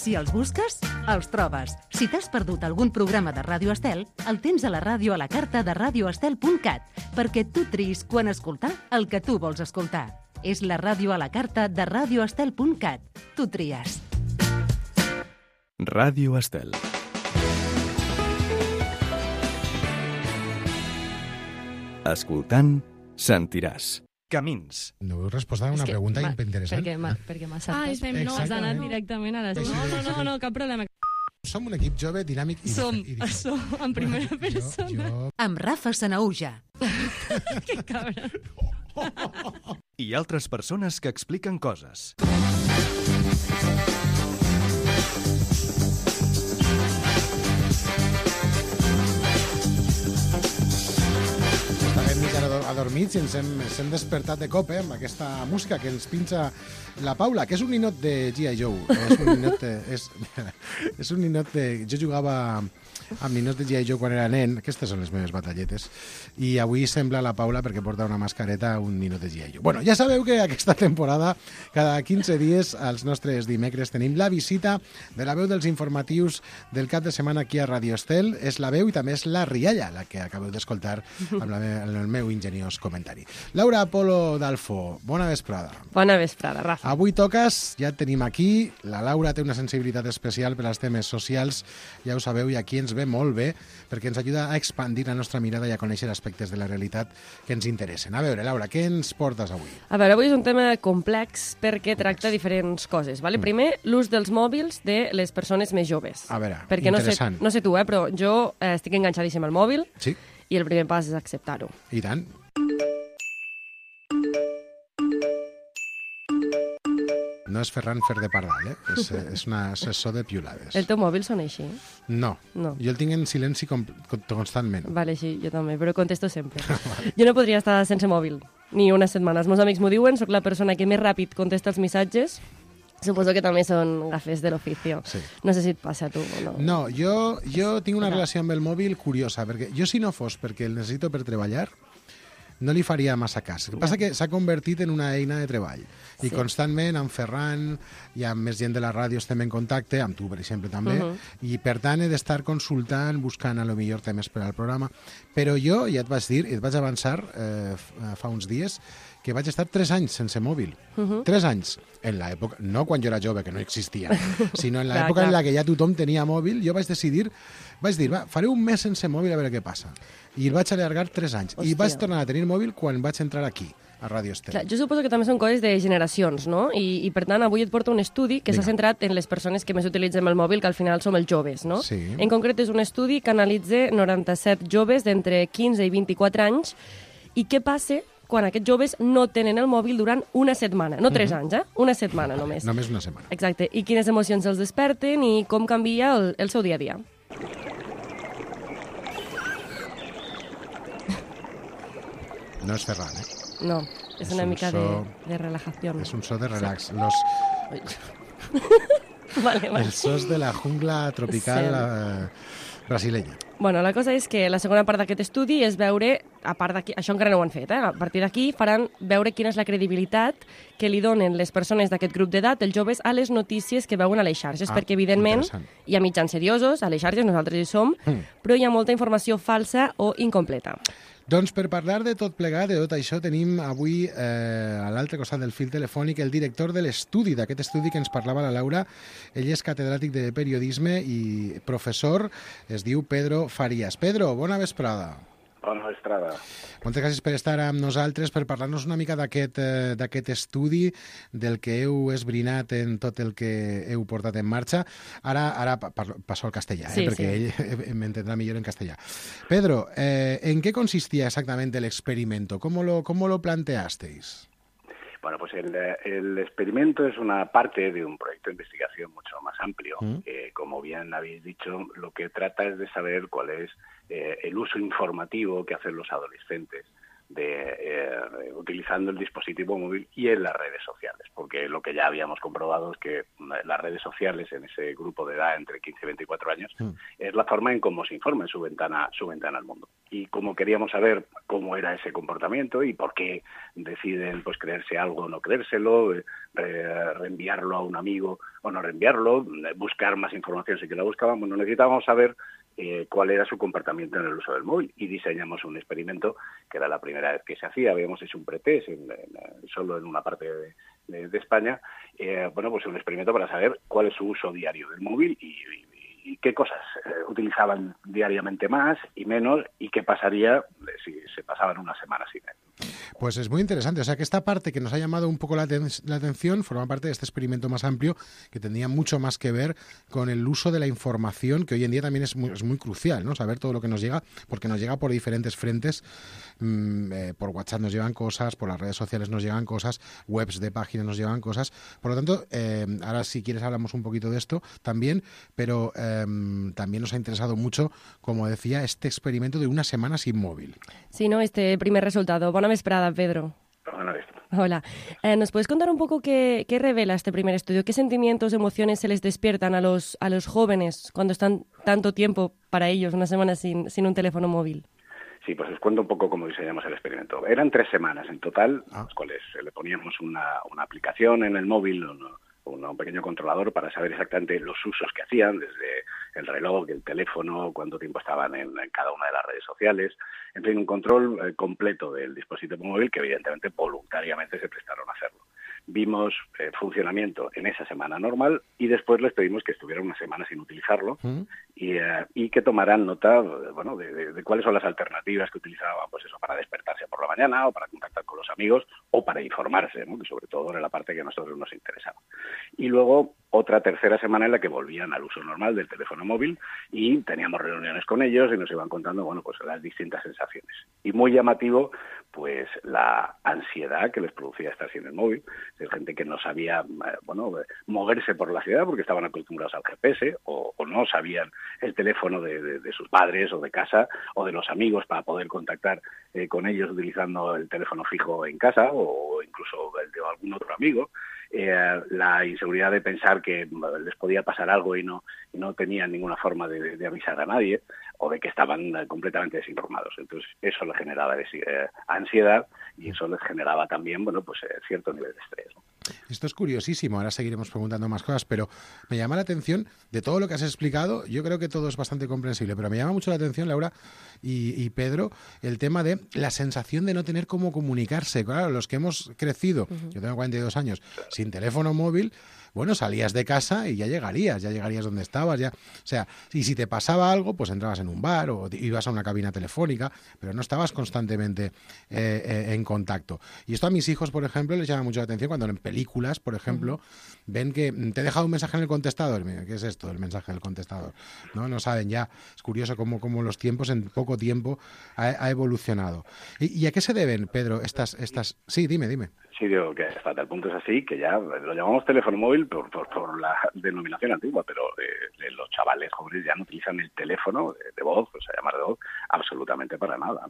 Si els busques, els trobes. Si t'has perdut algun programa de Ràdio Estel, el tens a la ràdio a la carta de radio estel punt cat, perquè tu triïs quan escoltar el que tu vols escoltar. És la ràdio a la carta de radio estel punt cat. Tu tries. Ràdio Estel. Escoltant, sentiràs. Camins. No heu respost a una pregunta interessant. Perquè m'ha perquè saltat. Ah, és fem, no, has anat directament a les... No, no, no, no, cap problema. Som un equip jove, dinàmic i Som, diferent. som, en primera persona. Jo, Amb Rafa Sanauja. Que cabra. I altres persones que expliquen coses. estàvem mig adormits i ens hem, ens hem despertat de cop, eh, amb aquesta música que ens pinxa la Paula, que és un ninot de G I Joe. És un ninot de... És, és un ninot de... Jo jugava amb ninots de G I Joe quan era nen. Aquestes són les meves batalletes. I avui sembla la Paula, perquè porta una mascareta, un ninot de G I Joe. Bueno, ja sabeu que aquesta temporada, cada quinze dies, als nostres dimecres, tenim la visita de la veu dels informatius del cap de setmana aquí a Radio Estel. És la veu i també és la rialla, la que acabeu d'escoltar amb, la me amb el meu ingeniós comentari. Laura Polo d'Alfo, bona vesprada. Bona vesprada, Rafa. Avui toques, ja et tenim aquí. La Laura té una sensibilitat especial per als temes socials, ja ho sabeu, i aquí ens ve molt bé, perquè ens ajuda a expandir la nostra mirada i a conèixer aspectes de la realitat que ens interessen. A veure, Laura, què ens portes avui? A veure, avui és un tema complex perquè tracta diferents coses. Vale? Primer, l'ús dels mòbils de les persones més joves. A veure, perquè interessant. No sé, no sé tu, eh, però jo eh, estic enganxadíssim al mòbil Sí, i el primer pas és acceptar-ho. i tant. No és Ferran Fer de Pardal, eh? És, és una assessor de piulades. El teu mòbil sona així? No, No. jo el tinc en silenci com, com, constantment. Vale, sí, jo també, però contesto sempre. Jo no podria estar sense mòbil, ni unes setmanes. Els meus amics m'ho diuen, sóc la persona que més ràpid contesta els missatges. Suposo que també són gafes de l'oficio. Sí. No sé si et passa a tu o no. No, jo, jo tinc una Clar. relació amb el mòbil curiosa, perquè jo si no fos perquè el necessito per treballar, no li faria massa cas. El que passa que s'ha convertit en una eina de treball. I Sí. constantment amb Ferran i amb més gent de la ràdio estem en contacte, amb tu, per exemple, també, Uh-huh. i per tant he d'estar consultant, buscant a lo millor temes per al programa. Però jo, ja et vaig dir, et vaig avançar eh, fa uns dies, que vaig estar tres anys sense mòbil. Uh-huh. Tres anys. En l'època, no quan jo era jove, que no existia, sinó en Clar, l'època en clar. la que ja tothom tenia mòbil, jo vaig decidir, vaig dir, va, faré un mes sense mòbil a veure què passa. I el vaig allargar tres anys. I Hòstia. vaig tornar a tenir mòbil quan vaig entrar aquí, a Ràdio Estel. Clar, jo suposo que també són coses de generacions, no? I, i per tant, avui et porto un estudi que s'ha Vinga. centrat en les persones que més utilitzem el mòbil, que al final som els joves, no? Sí. En concret, és un estudi que analitza noranta-set joves d'entre quinze i vint-i-quatre anys i què passa quan aquests joves no tenen el mòbil durant una setmana. No tres anys, eh? Una setmana només. Només una setmana. Exacte. I quines emocions els desperten i com canvia el, el seu dia a dia. No és Ferran, eh? No, és, És una un mica so- de, de relajació. És un so de relax. Los, Vale, vale. els sos de la jungla tropical Sí. eh, brasilenya. Bueno, la cosa és que la segona part d'aquest estudi és veure, a part d'aquí, això encara no ho han fet, eh? A partir d'aquí faran veure quina és la credibilitat que li donen les persones d'aquest grup d'edat, els joves, a les notícies que veuen a les xarxes, Ah, perquè evidentment interessant. hi ha mitjans seriosos, a les xarxes nosaltres hi som, Mm. però hi ha molta informació falsa o incompleta. Doncs per parlar de tot plegat, de tot això, tenim avui eh, a l'altre costat del fil telefònic el director de l'estudi, d'aquest estudi que ens parlava la Laura. Ell és catedràtic de periodisme i professor, es diu Pedro Farías. Pedro, bona vesprada. Bona vesprada. Moltes gràcies per estar amb nosaltres, per parlar-nos una mica d'aquest eh, d'aquest estudi, del que heu esbrinat en tot el que heu portat en marxa. Ara, ara pa- parlo- passo al castellà, eh, Sí, perquè ell m'entendrà millor en castellà. Pedro, eh, ¿en qué consistía exactamente el experimento? ¿Cómo lo, cómo lo planteasteis? Bueno, pues el, el experimento es una parte de un proyecto de investigación mucho más amplio. Mm. Eh, como bien habéis dicho, lo que trata es de saber cuál es eh, el uso informativo que hacen los adolescentes de eh, utilizando el dispositivo móvil y en las redes sociales, porque lo que ya habíamos comprobado es que las redes sociales en ese grupo de edad entre quince y veinticuatro años mm. es la forma en cómo se informa en su ventana, su ventana al mundo. Y como queríamos saber cómo era ese comportamiento y por qué deciden pues creerse algo o no creérselo, eh, reenviarlo a un amigo o no reenviarlo, buscar más información si que la buscaban, bueno, necesitábamos saber Eh, cuál era su comportamiento en el uso del móvil y diseñamos un experimento que era la primera vez que se hacía. Habíamos hecho un pretest en, en, solo en una parte de, de, de España, eh, bueno, pues un experimento para saber cuál es su uso diario del móvil y, y, y qué cosas eh, utilizaban diariamente más y menos y qué pasaría si se pasaban una semana sin él. Pues es muy interesante, o sea que esta parte que nos ha llamado un poco la, ten la atención forma parte de este experimento más amplio que tendría mucho más que ver con el uso de la información, que hoy en día también es muy, es muy crucial, ¿no? Saber todo lo que nos llega, porque nos llega por diferentes frentes, mmm, eh, por WhatsApp nos llegan cosas, por las redes sociales nos llegan cosas, webs de páginas nos llegan cosas, por lo tanto, eh, ahora si quieres hablamos un poquito de esto también, pero eh, también nos ha interesado mucho, como decía, este experimento de una semana sin móvil. Sí, no, este primer resultado. Bona vesprada, Pedro. Bona vesprada. Hola. Eh, ¿Nos puedes contar un poco qué, qué revela este primer estudio? ¿Qué sentimientos, emociones se les despiertan a los, a los jóvenes cuando están tanto tiempo para ellos, una semana sin, sin un teléfono móvil? Sí, pues os cuento un poco cómo diseñamos el experimento. Eran tres semanas en total, ah. las cuales le poníamos una, una aplicación en el móvil, un, un pequeño controlador para saber exactamente los usos que hacían, desde el reloj, el teléfono, cuánto tiempo estaban en, en cada una de las redes sociales. En fin, un control eh, completo del dispositivo móvil que evidentemente voluntariamente se prestaron a hacerlo. Vimos eh, funcionamiento en esa semana normal y después les pedimos que estuvieran una semana sin utilizarlo ¿Mm? y, eh, y que tomaran nota bueno, de, de, de cuáles son las alternativas que utilizaban, pues eso, para despertarse por la mañana o para contactar con los amigos o para informarse, ¿no? Que sobre todo era la parte que a nosotros nos interesaba. Y luego otra tercera semana en la que volvían al uso normal del teléfono móvil y teníamos reuniones con ellos y nos iban contando, bueno, pues las distintas sensaciones. Y muy llamativo, pues la ansiedad que les producía estar sin el móvil, de gente que no sabía, bueno, moverse por la ciudad porque estaban acostumbrados al G P S o, o no sabían el teléfono de, de, de sus padres o de casa o de los amigos para poder contactar eh, con ellos utilizando el teléfono fijo en casa o incluso el de algún otro amigo. Eh, la inseguridad de pensar que les podía pasar algo y no, y no tenían ninguna forma de, de avisar a nadie o de que estaban completamente desinformados. Entonces eso les generaba eh, ansiedad y eso les generaba también, bueno, pues eh, cierto nivel de estrés, ¿no? Esto es curiosísimo, ahora seguiremos preguntando más cosas, pero me llama la atención de todo lo que has explicado. Yo creo que todo es bastante comprensible, pero me llama mucho la atención, Laura y, y Pedro, el tema de la sensación de no tener cómo comunicarse. Claro, los que hemos crecido, uh-huh. yo tengo cuarenta y dos años, sin teléfono móvil, bueno, salías de casa y ya llegarías, ya llegarías donde estabas, ya, o sea, y si te pasaba algo, pues entrabas en un bar o ibas a una cabina telefónica, pero no estabas constantemente eh, eh, en contacto. Y esto a mis hijos, por ejemplo, les llama mucho la atención cuando en películas, por ejemplo, uh-huh. ven que te he dejado un mensaje en el contestador. Mira, ¿qué es esto del mensaje del contestador? No, no saben ya. Es curioso cómo, cómo los tiempos en poco tiempo ha, ha evolucionado. ¿Y, ¿Y a qué se deben, Pedro, estas, estas? Sí, dime, dime. Sí, digo que hasta tal punto es así que ya lo llamamos teléfono móvil por, por, por la denominación antigua, pero eh, los chavales jóvenes ya no utilizan el teléfono de, de voz, o sea, llamar de voz, absolutamente para nada.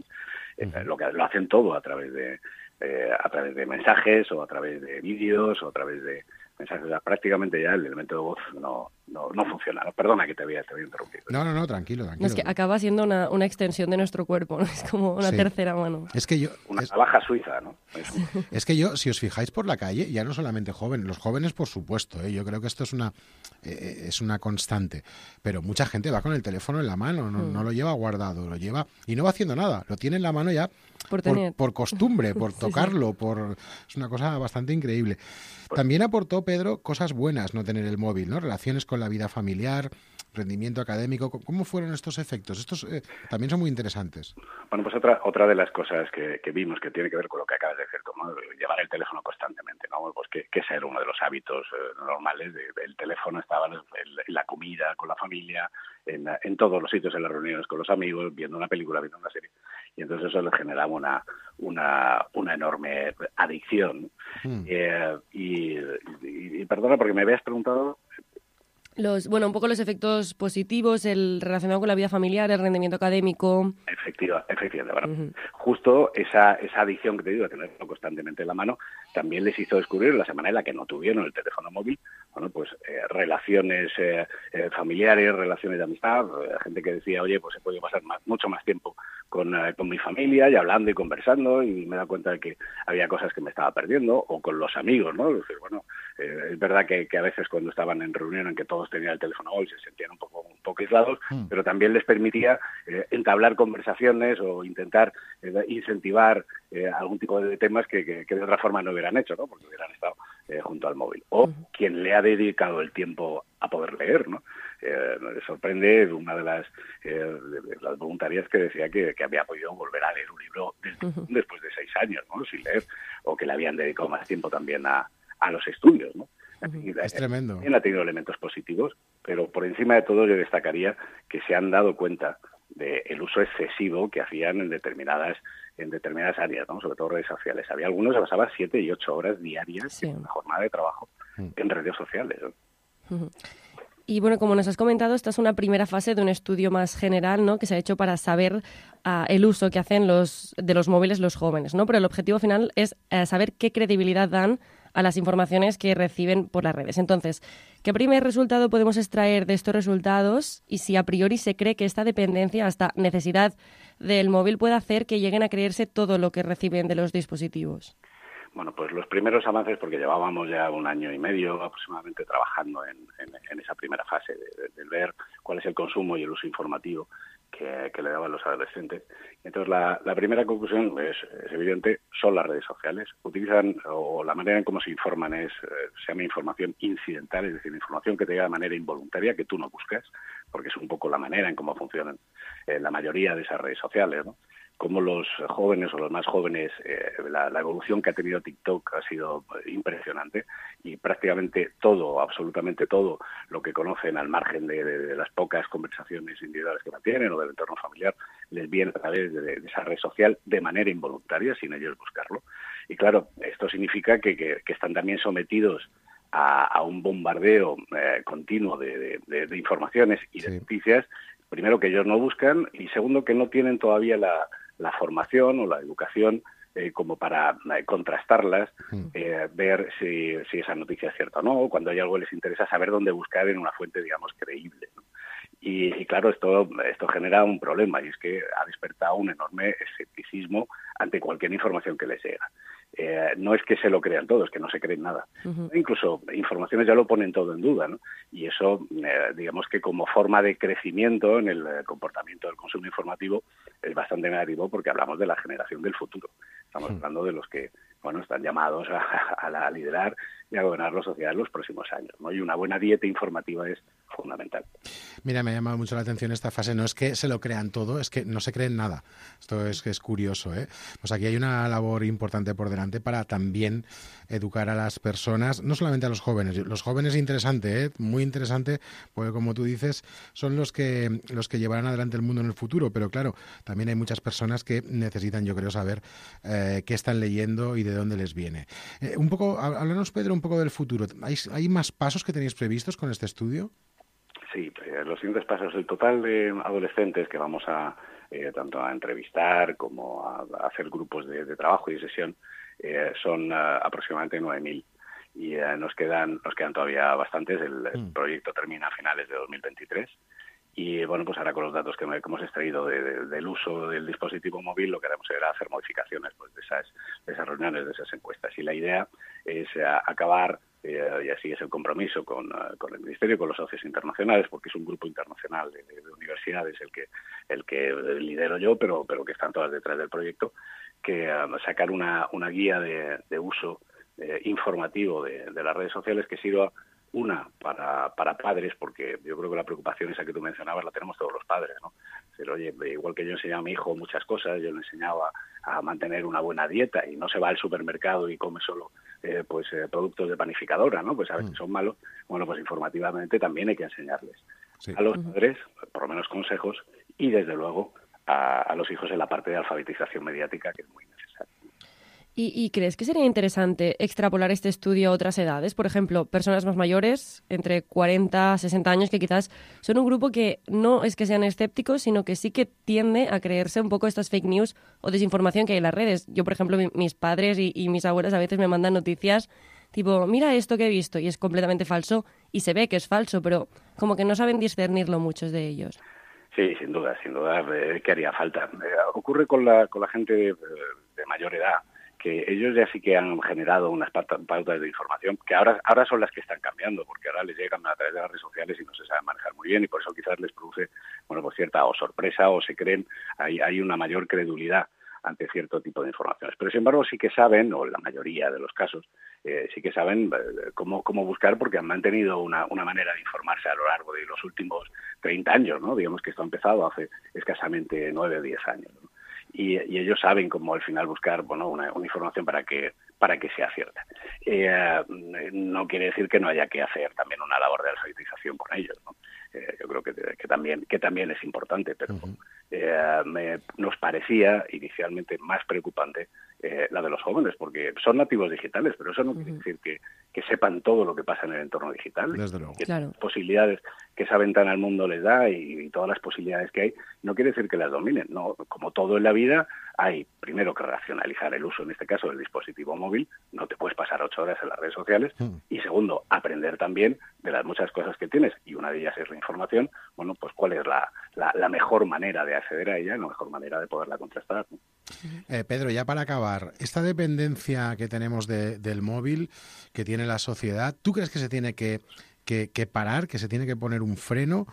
Eh, uh-huh. lo, que, lo hacen todo a través de eh, a través de mensajes o a través de vídeos o a través de mensajes. O sea, prácticamente ya el elemento de voz no, no, no funciona. Perdona que te había, te había interrumpido. No, no, no, tranquilo, tranquilo. No, es que acaba siendo una, una extensión de nuestro cuerpo, ¿no? Es como una sí. tercera mano. Es que yo... Una es, navaja suiza, ¿no? Es, es que yo, si os fijáis por la calle, ya no solamente jóvenes, los jóvenes por supuesto, ¿eh? Yo creo que esto es una eh, es una constante, pero mucha gente va con el teléfono en la mano, no, mm. no lo lleva guardado, lo lleva y no va haciendo nada, lo tiene en la mano ya por, por, por costumbre, por tocarlo, sí, sí. por es una cosa bastante increíble. También aportó, Pedro, cosas buenas no tener el móvil, ¿no? Relaciones con la vida familiar, rendimiento académico. ¿Cómo fueron estos efectos? Estos eh, también son muy interesantes. Bueno, pues otra otra de las cosas que, que vimos que tiene que ver con lo que acabas de decir, ¿no? Llevar el teléfono constantemente, ¿no? Pues que, que ese era uno de los hábitos eh, normales. De, el teléfono estaba en, en la comida, con la familia, en, en todos los sitios, en las reuniones con los amigos, viendo una película, viendo una serie. Y entonces eso les generaba una una, una enorme adicción. Mm. Eh, y, y, y perdona, porque me habías preguntado... Los, bueno, un poco los efectos positivos, el relacionado con la vida familiar, el rendimiento académico. Efectiva, efectivamente. Bueno, Uh-huh. Justo esa, esa adicción que te digo, de tenerlo constantemente en la mano, también les hizo descubrir la semana en la que no tuvieron el teléfono móvil, bueno, pues eh, relaciones eh, eh, familiares, relaciones de amistad, eh, gente que decía, oye, pues he podido pasar más, mucho más tiempo con, eh, con mi familia y hablando y conversando, y me he dado cuenta de que había cosas que me estaba perdiendo, o con los amigos, ¿no? Es decir, bueno, eh, es verdad que, que a veces cuando estaban en reunión en que todos tenían el teléfono móvil se sentían un poco, un poco aislados, mm. pero también les permitía eh, entablar conversaciones o intentar eh, incentivar eh, algún tipo de temas que, que, que de otra forma no hubieran hecho, ¿no? Porque hubieran estado eh, junto al móvil. O uh-huh. quien le ha dedicado el tiempo a poder leer, ¿no? Eh, me sorprende una de las, eh, de, de las voluntarias que decía que, que había podido volver a leer un libro desde, uh-huh. después de seis años, ¿no? Sin leer, o que le habían dedicado más tiempo también a, a los estudios, ¿no? Uh-huh. Es tremendo. También ha tenido elementos positivos, pero por encima de todo yo destacaría que se han dado cuenta del uso excesivo que hacían en determinadas en determinadas áreas, ¿no? Sobre todo redes sociales. Había algunos que pasaban siete y ocho horas diarias sí. en la jornada de trabajo uh-huh. en redes sociales, ¿no? Uh-huh. Y bueno, como nos has comentado, esta es una primera fase de un estudio más general, ¿no? Que se ha hecho para saber uh, el uso que hacen los de los móviles los jóvenes, ¿no? Pero el objetivo final es uh, saber qué credibilidad dan a las informaciones que reciben por las redes. Entonces, ¿qué primer resultado podemos extraer de estos resultados? Y si a priori se cree que esta dependencia, esta necesidad del móvil puede hacer que lleguen a creerse todo lo que reciben de los dispositivos. Bueno, pues los primeros avances, porque llevábamos ya un año y medio aproximadamente trabajando en, en, en esa primera fase de, de, de ver cuál es el consumo y el uso informativo que, que le daban los adolescentes. Entonces, la, la primera conclusión es, es evidente, son las redes sociales. Utilizan, o la manera en cómo se informan es, eh, se llama información incidental, es decir, información que te llega de manera involuntaria, que tú no buscas, porque es un poco la manera en cómo funcionan eh, la mayoría de esas redes sociales, ¿no? Como los jóvenes o los más jóvenes, eh, la, la evolución que ha tenido TikTok ha sido impresionante y prácticamente todo, absolutamente todo lo que conocen al margen de, de, de las pocas conversaciones individuales que mantienen o del entorno familiar les viene a través de, de esa red social de manera involuntaria, sin ellos buscarlo. Y claro, esto significa que, que, que están también sometidos a, a un bombardeo eh, continuo de, de, de, de informaciones y de sí. noticias, primero que ellos no buscan y segundo que no tienen todavía la la formación o la educación eh, como para eh, contrastarlas, eh, ver si, si esa noticia es cierta o no, cuando hay algo que les interesa, saber dónde buscar en una fuente, digamos, creíble, ¿no? Y, y claro, esto, esto genera un problema y es que ha despertado un enorme escepticismo ante cualquier información que les llega. Eh, no es que se lo crean todos, que no se creen nada. Uh-huh. Incluso informaciones ya lo ponen todo en duda, ¿no? Y eso, eh, digamos que como forma de crecimiento en el eh, comportamiento del consumo informativo es bastante negativo porque hablamos de la generación del futuro. Estamos uh-huh. hablando de los que, bueno, están llamados a, a, a liderar y a gobernar la sociedad en los próximos años, ¿no? Y una buena dieta informativa es fundamental. Mira, me ha llamado mucho la atención esta fase. No es que se lo crean todo, es que no se creen nada. Esto es que es curioso, ¿eh? Pues aquí hay una labor importante por delante para también educar a las personas, no solamente a los jóvenes. Los jóvenes interesante, ¿eh? Muy interesante, porque como tú dices, son los que los que llevarán adelante el mundo en el futuro. Pero claro, también hay muchas personas que necesitan, yo creo, saber eh, qué están leyendo y de dónde les viene. Eh, un poco, háblanos, Pedro, un poco del futuro. ¿Hay, hay más pasos que tenéis previstos con este estudio? Sí, eh, los siguientes pasos, el total de adolescentes que vamos a eh, tanto a entrevistar como a, a hacer grupos de, de trabajo y de sesión eh, son uh, aproximadamente nueve mil y uh, nos quedan nos quedan todavía bastantes. El, mm. el proyecto termina a finales de dos mil veintitrés y bueno, pues ahora con los datos que, me, que hemos extraído de, de, del uso del dispositivo móvil lo que haremos será hacer modificaciones pues de esas de esas reuniones, de esas encuestas y la idea es uh, acabar Eh, y así es el compromiso con, uh, con el Ministerio y con los socios internacionales, porque es un grupo internacional de, de, de universidades el que el que lidero yo, pero pero que están todas detrás del proyecto, que uh, sacar una, una guía de, de uso eh, informativo de, de las redes sociales que sirva una para, para padres, porque yo creo que la preocupación esa que tú mencionabas la tenemos todos los padres, ¿no? Decir, oye, igual que yo enseñaba a mi hijo muchas cosas, yo le enseñaba a mantener una buena dieta y no se va al supermercado y come solo eh, pues eh, productos de panificadora, ¿no? Pues a veces mm. son malos. Bueno, pues informativamente también hay que enseñarles sí. a los uh-huh. padres, por lo menos consejos, y desde luego a, a los hijos en la parte de alfabetización mediática, que es muy necesaria. ¿Y, ¿Y crees que sería interesante extrapolar este estudio a otras edades? Por ejemplo, personas más mayores, entre cuarenta, sesenta años, que quizás son un grupo que no es que sean escépticos, sino que sí que tiende a creerse un poco estas fake news o desinformación que hay en las redes. Yo, por ejemplo, mi, mis padres y, y mis abuelas a veces me mandan noticias tipo, mira esto que he visto, y es completamente falso, y se ve que es falso, pero como que no saben discernirlo muchos de ellos. Sí, sin duda, sin duda, eh, que haría falta. Eh, ocurre con la, con la gente de, de mayor edad, que ellos ya sí que han generado unas pautas de información que ahora ahora son las que están cambiando, porque ahora les llegan a través de las redes sociales y no se saben manejar muy bien, y por eso quizás les produce, bueno, pues cierta o sorpresa o se creen, hay, hay una mayor credulidad ante cierto tipo de informaciones. Pero, sin embargo, sí que saben, o en la mayoría de los casos, eh, sí que saben eh, cómo, cómo buscar, porque han mantenido una, una manera de informarse a lo largo de los últimos treinta años, ¿no? Digamos que esto ha empezado hace escasamente nueve o diez años, ¿no? Y, y ellos saben cómo al final buscar, bueno, una, una información para que para que sea cierta. Eh, no quiere decir que no haya que hacer también una labor de alfabetización con ellos, ¿no? Eh, yo creo que, que también que también es importante, pero uh-huh. eh, me, nos parecía inicialmente más preocupante eh, la de los jóvenes, porque son nativos digitales, pero eso no uh-huh. quiere decir que, que sepan todo lo que pasa en el entorno digital. Desde luego. Que claro. posibilidades que esa ventana al mundo les da y, y todas las posibilidades que hay, no quiere decir que las dominen. No, como todo en la vida, hay primero que racionalizar el uso, en este caso del dispositivo móvil, no te puedes pasar ocho horas en las redes sociales, uh-huh. y segundo, aprender también de las muchas cosas que tienes, y una de ellas es la información, bueno, pues cuál es la, la, la mejor manera de acceder a ella, la mejor manera de poderla contrastar, ¿no? Eh, Pedro, ya para acabar, esta dependencia que tenemos de, del móvil, que tiene la sociedad, ¿tú crees que se tiene que, que, que parar, que se tiene que poner un freno,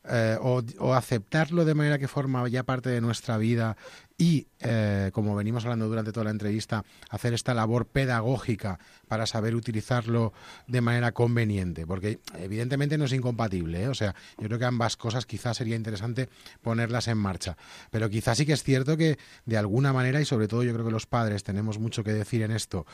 eh, o, o aceptarlo de manera que forma ya parte de nuestra vida y, eh, como venimos hablando durante toda la entrevista, hacer esta labor pedagógica para saber utilizarlo de manera conveniente? Porque evidentemente no es incompatible, ¿eh? O sea, yo creo que ambas cosas quizás sería interesante ponerlas en marcha. Pero quizás sí que es cierto que de alguna manera, y sobre todo yo creo que los padres tenemos mucho que decir en esto,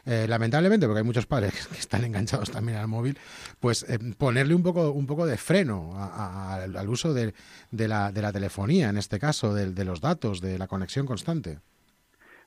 eh, lamentablemente, porque hay muchos padres que están enganchados también al móvil, pues eh, ponerle un poco un poco de freno a, a, al uso de, de, la, de la telefonía, en este caso, de, de los datos, de la conexión constante.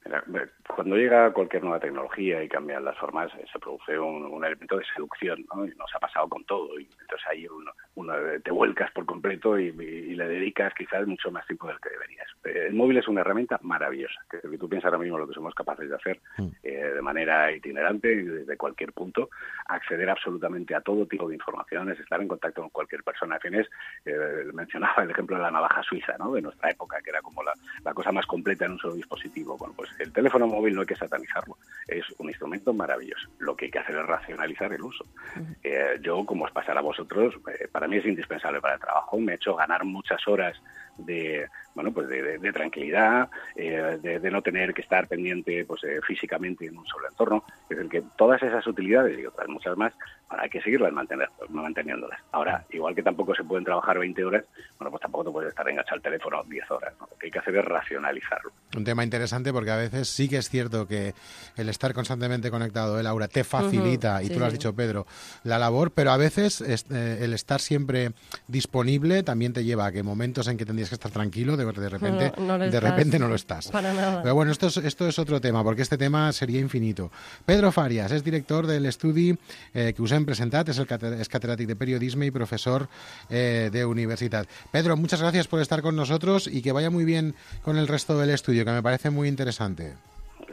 Mira, cuando llega cualquier nueva tecnología y cambian las formas, se produce un, un elemento de seducción, ¿no? Y nos ha pasado con todo. Y entonces ahí uno, uno te vuelcas por completo y, y, y le dedicas quizás mucho más tiempo del que deberías. El móvil es una herramienta maravillosa, que, que tú piensas ahora mismo lo que somos capaces de hacer mm. eh, de manera itinerante, desde cualquier punto, acceder absolutamente a todo tipo de informaciones, estar en contacto con cualquier persona. Tienes, eh, mencionaba el ejemplo de la navaja suiza, ¿no? De nuestra época, que era como la, la cosa más completa en un solo dispositivo. Bueno, pues el teléfono móvil no hay que satanizarlo, es un instrumento maravilloso. Lo que hay que hacer es racionalizar el uso. Uh-huh. Eh, yo, como os pasará a vosotros, eh, para mí es indispensable para el trabajo, me he hecho ganar muchas horas de bueno pues de, de, de tranquilidad, eh, de, de no tener que estar pendiente pues eh, físicamente en un solo entorno. Es decir, que todas esas utilidades y otras muchas más, ahora hay que seguirlas mantener, manteniéndolas. Ahora, igual que tampoco se pueden trabajar veinte horas, bueno, pues tampoco te puedes estar enganchado al teléfono diez horas, ¿no? Lo que hay que hacer es racionalizarlo. Un tema interesante, porque a veces sí que es cierto que el estar constantemente conectado, ¿eh, Laura? Te facilita, uh-huh, y tú sí. Lo has dicho, Pedro, la labor, pero a veces eh, el estar siempre disponible también te lleva a que momentos en que tendrías que estar tranquilo, de, de repente no, no de estás. repente no lo estás. Para nada. Pero bueno, esto es, esto es otro tema, porque este tema sería infinito. Pedro Fàries és director de l'estudi eh, que us hem presentat, és, el cate- és catedràtic de periodisme y profesor eh, de universitat. Pedro, muchas gracias por estar con nosotros y que vaya muy bien con el resto del estudio, que me parece muy interesante.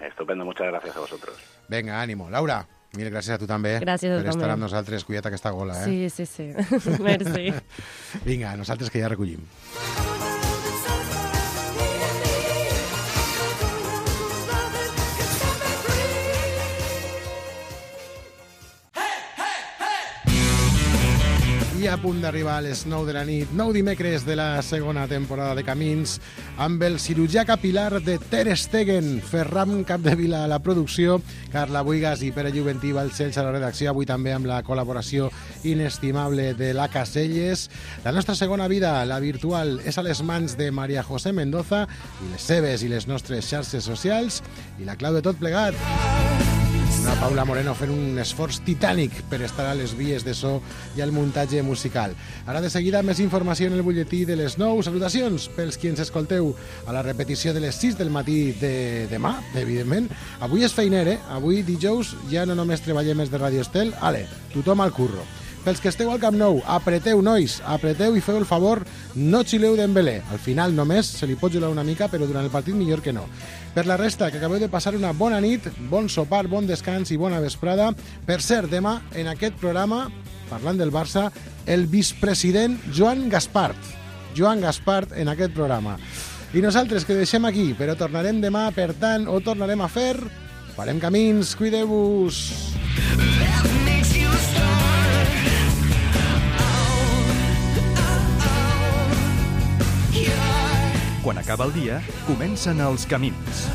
Estupendo, muchas gracias a vosotros. Venga, ánimo. Laura, mil gràcies a tu també gràcies per a tu estar també. amb nosaltres. Cuida't aquesta gola, eh? Sí, sí, sí. Merci. Vinga, nosaltres que ja recollim. I a punt d'arribar a les nou de la nit, nou dimecres de la segona temporada de Camins, amb el cirurgià capilar de Ter Stegen, Ferran Capdevila a la producció, Carla Buigas i Pere Juventí Balcells a la redacció, avui també amb la col·laboració inestimable de la Caselles. La nostra segona vida, la virtual, és a les mans de Maria José Mendoza i les seves i les nostres xarxes socials i la clau de tot plegat. Una Paula Moreno fent un esforç titànic per estar a les vies de so i al muntatge musical. Ara de seguida més informació en el butlletí de les nou. Salutacions pels qui ens escolteu a la repetició de les sis del matí de demà, evidentment. Avui és feiner, eh? Avui dijous ja no només treballem més de Radio Estel, ale, tothom al curro. Pels que esteu al Camp Nou, apreteu, nois, apreteu i feu el favor, no xileu d'Embelé. Al final només se li pot jugar una mica, però durant el partit millor que no. Per la resta, que acabeu de passar una bona nit, bon sopar, bon descans i bona vesprada. Per cert, demà, en aquest programa, parlant del Barça, el vicepresident Joan Gaspart. Joan Gaspart en aquest programa. I nosaltres que deixem aquí, però tornarem demà, per tant, ho tornarem a fer. Farem camins, cuideu-vos. Quan acaba el dia, comencen els camins.